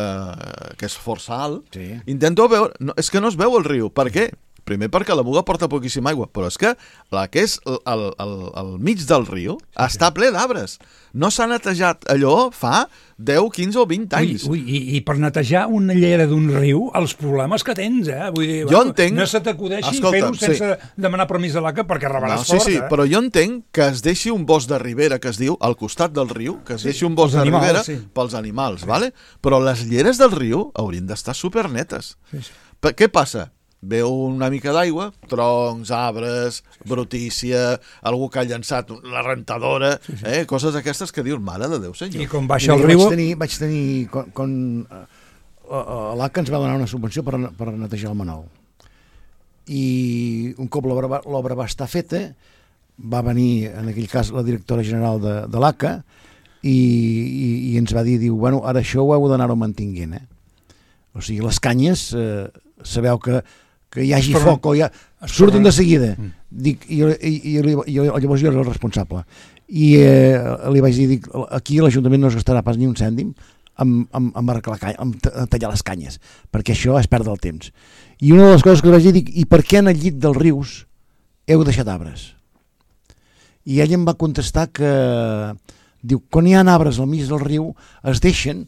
que és força alt, sí. Intenteu veure... No, és que no es veu el riu. Per què? Primer perquè la Muga porta poquíssima aigua, però és que la que és al, al, al mig del riu sí, està ple d'arbres. No s'ha netejat allò fa deu, quinze o vint anys. Ui, ui, i, I per netejar una llera d'un riu, els problemes que tens, eh? Vull dir, jo bueno, entenc... no se t'acudeixi fer-ho sense sí. demanar permís de l'A C A perquè rebràs no, sí, fort, sí, eh? Però jo entenc que es deixi un bosc de ribera, que es diu, al costat del riu, que es sí, deixi un bosc de animals, ribera sí. pels animals, sí. vale? Però les lleres del riu haurien d'estar supernetes. Sí, sí. Què passa? Veu una mica d'aigua, troncs, arbres, brutícia, algú que ha llançat la rentadora, sí, sí. Eh, coses aquestes que dius, mare de Déu, senyor. I com baixa el riu... Vaig tenir, vaig tenir quan, quan l'A C A ens va donar una subvenció per, per netejar el Manol. I un cop l'obra va estar feta, va venir, en aquell cas, la directora general de, de l'A C A i, i, i ens va dir, diu, bueno, ara això ho heu d'anar-ho mantinguent, eh? O sigui, les canyes, eh, sabeu que que hi hagi Esperant. foc o ja surten de seguida. Mm. Dic, i, i, i, i llavors jo era el responsable. I eh, li vaig dir, dic, aquí l'Ajuntament no es gastarà pas ni un cèntim amb, amb, amb, arreglar, amb tallar les canyes, perquè això és perdre el temps. I una de les coses que li vaig dir, dic, i per què en el llit dels rius heu deixat arbres? I ell em va contestar que, diu, quan hi ha arbres al mig del riu es deixen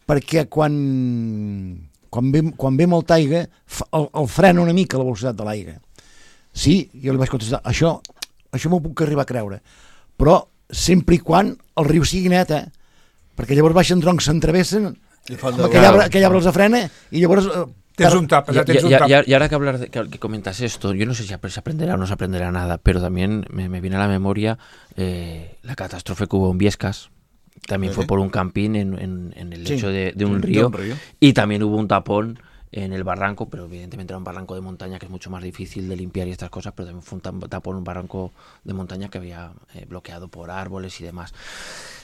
perquè quan... Quan ve, quan ve molta aigua, el, el frena una mica la velocitat de l'aigua. Sí, jo li vaig contestar, això, això m'ho puc arribar a creure, però sempre i quan el riu sigui net, eh? Perquè llavors baixen troncs, s'entrevessen, aquell arbre, aquell arbre els frena i llavors... Eh, tens un tap, ya tens un tap. Y, y, y ahora que hablar de, que, que comentas esto, yo no sé si se aprenderá o no se aprenderá nada, pero también me, me viene a la memoria eh, la catástrofe que hubo en Viescas. También ¿Sí? fue por un campín en, en, en el lecho sí, de, de, un río, de un río y también hubo un tapón en el barranco, pero evidentemente era un barranco de montaña que es mucho más difícil de limpiar y estas cosas, pero también fue un tapón, un barranco de montaña que había eh, bloqueado por árboles y demás.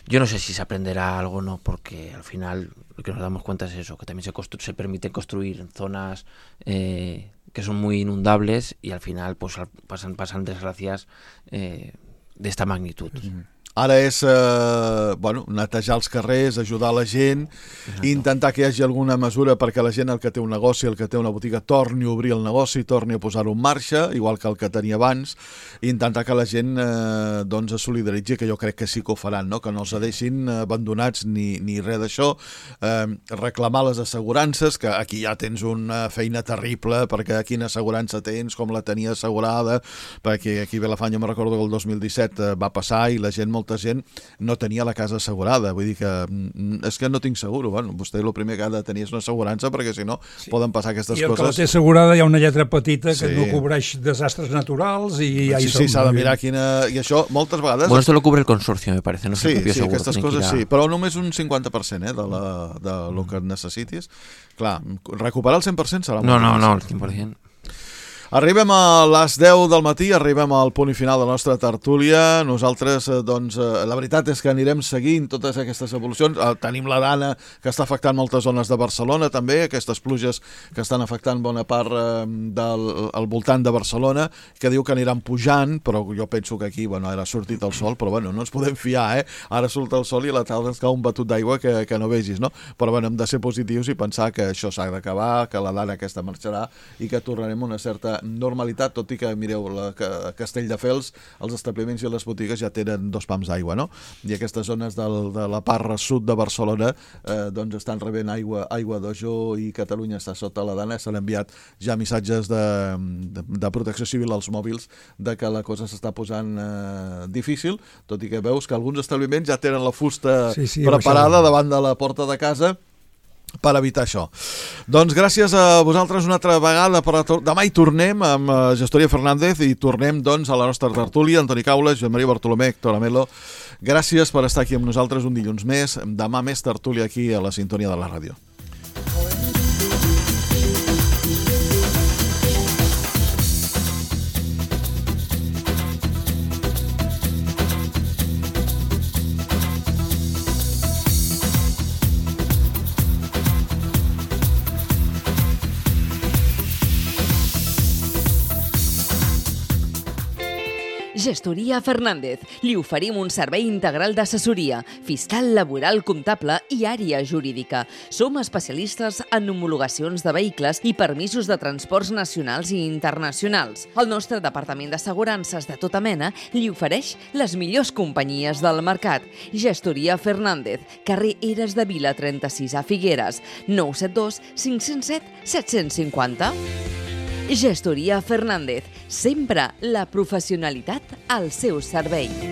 Yo no sé si se aprenderá algo o no, porque al final lo que nos damos cuenta es eso, que también se, constru se permite construir en zonas eh, que son muy inundables y al final pues pasan, pasan desgracias eh, de esta magnitud. Mm. Ara és, eh, bueno, netejar els carrers, ajudar la gent, Exacte. intentar que hi hagi alguna mesura perquè la gent, el que té un negoci, el que té una botiga, torni a obrir el negoci, torni a posar-ho en marxa, igual que el que tenia abans, i intentar que la gent eh, doncs es solidaritzi, que jo crec que sí que ho faran, no? Que no els deixin abandonats ni, ni res d'això, eh, reclamar les assegurances, que aquí ja tens una feina terrible, perquè quina assegurança tens, com la tenia assegurada, perquè aquí a Vilafant jo me recordo que el dos mil disset eh, va passar i la gent molt molta gent no tenia la casa assegurada, vull dir que és que no tinc seguro, bueno, vostè el primer que ha de tenir és una assegurança perquè si no sí. poden passar aquestes coses. I el coses. que la té assegurada hi ha una lletra petita que sí. no cobreix desastres naturals i ja sí, hi som. Sí, s'ha de mirar quina... I això moltes vegades... Bueno, esto lo cubre el consorcio, me parece, no sé sí, sí, seguro. Aquestes coses sí, però només un cinquanta per cent eh, de, la, de lo que necessitis. Clar, recuperar el cent per cent serà... No, no, no, el cent per cent. Arribem a les deu del matí, arribem al punt i final de la nostra tertúlia. Nosaltres, doncs, la veritat és que anirem seguint totes aquestes evolucions. Tenim la Dana, que està afectant moltes zones de Barcelona, també, aquestes pluges que estan afectant bona part del al voltant de Barcelona, que diu que aniran pujant, però jo penso que aquí, bueno, ara ha sortit el sol, però bueno, no ens podem fiar, eh? Ara surt el sol i a la tarda ens cau un batut d'aigua que, que no vegis, no? Però bueno, hem de ser positius i pensar que això s'ha d'acabar, que la Dana aquesta marxarà i que tornarem a una certa normalitat, tot i que, mireu, la, que a Castelldefels els establiments i les botigues ja tenen dos pams d'aigua, no? I aquestes zones del, de la part sud de Barcelona eh, doncs estan rebent aigua, aigua d'Ojó i Catalunya està sota la Dana. S'han enviat ja missatges de, de, de protecció civil als mòbils de que la cosa s'està posant eh, difícil, tot i que veus que alguns establiments ja tenen la fusta sí, sí, preparada davant de la porta de casa per evitar això. Doncs gràcies a vosaltres una altra vegada. Per demà hi tornem amb Gestoria Fernández i tornem doncs a la nostra tertúlia. Antoni Caules, Joan Maria Bartolomé, Héctor Amelo. Gràcies per estar aquí amb nosaltres un dilluns més. Demà més tertúlia aquí a la sintonia de la ràdio. Gestoria Fernández. Li oferim un servei integral d'assessoria, fiscal, laboral, comptable i àrea jurídica. Som especialistes en homologacions de vehicles i permisos de transports nacionals i internacionals. El nostre departament d'assegurances de tota mena li ofereix les millors companyies del mercat. Gestoria Fernández, carrer Eres de Vila trenta-sis a Figueres, nou set dos cinc zero set set cinc zero. Gestoria Fernández, sempre la professionalitat al seu servei.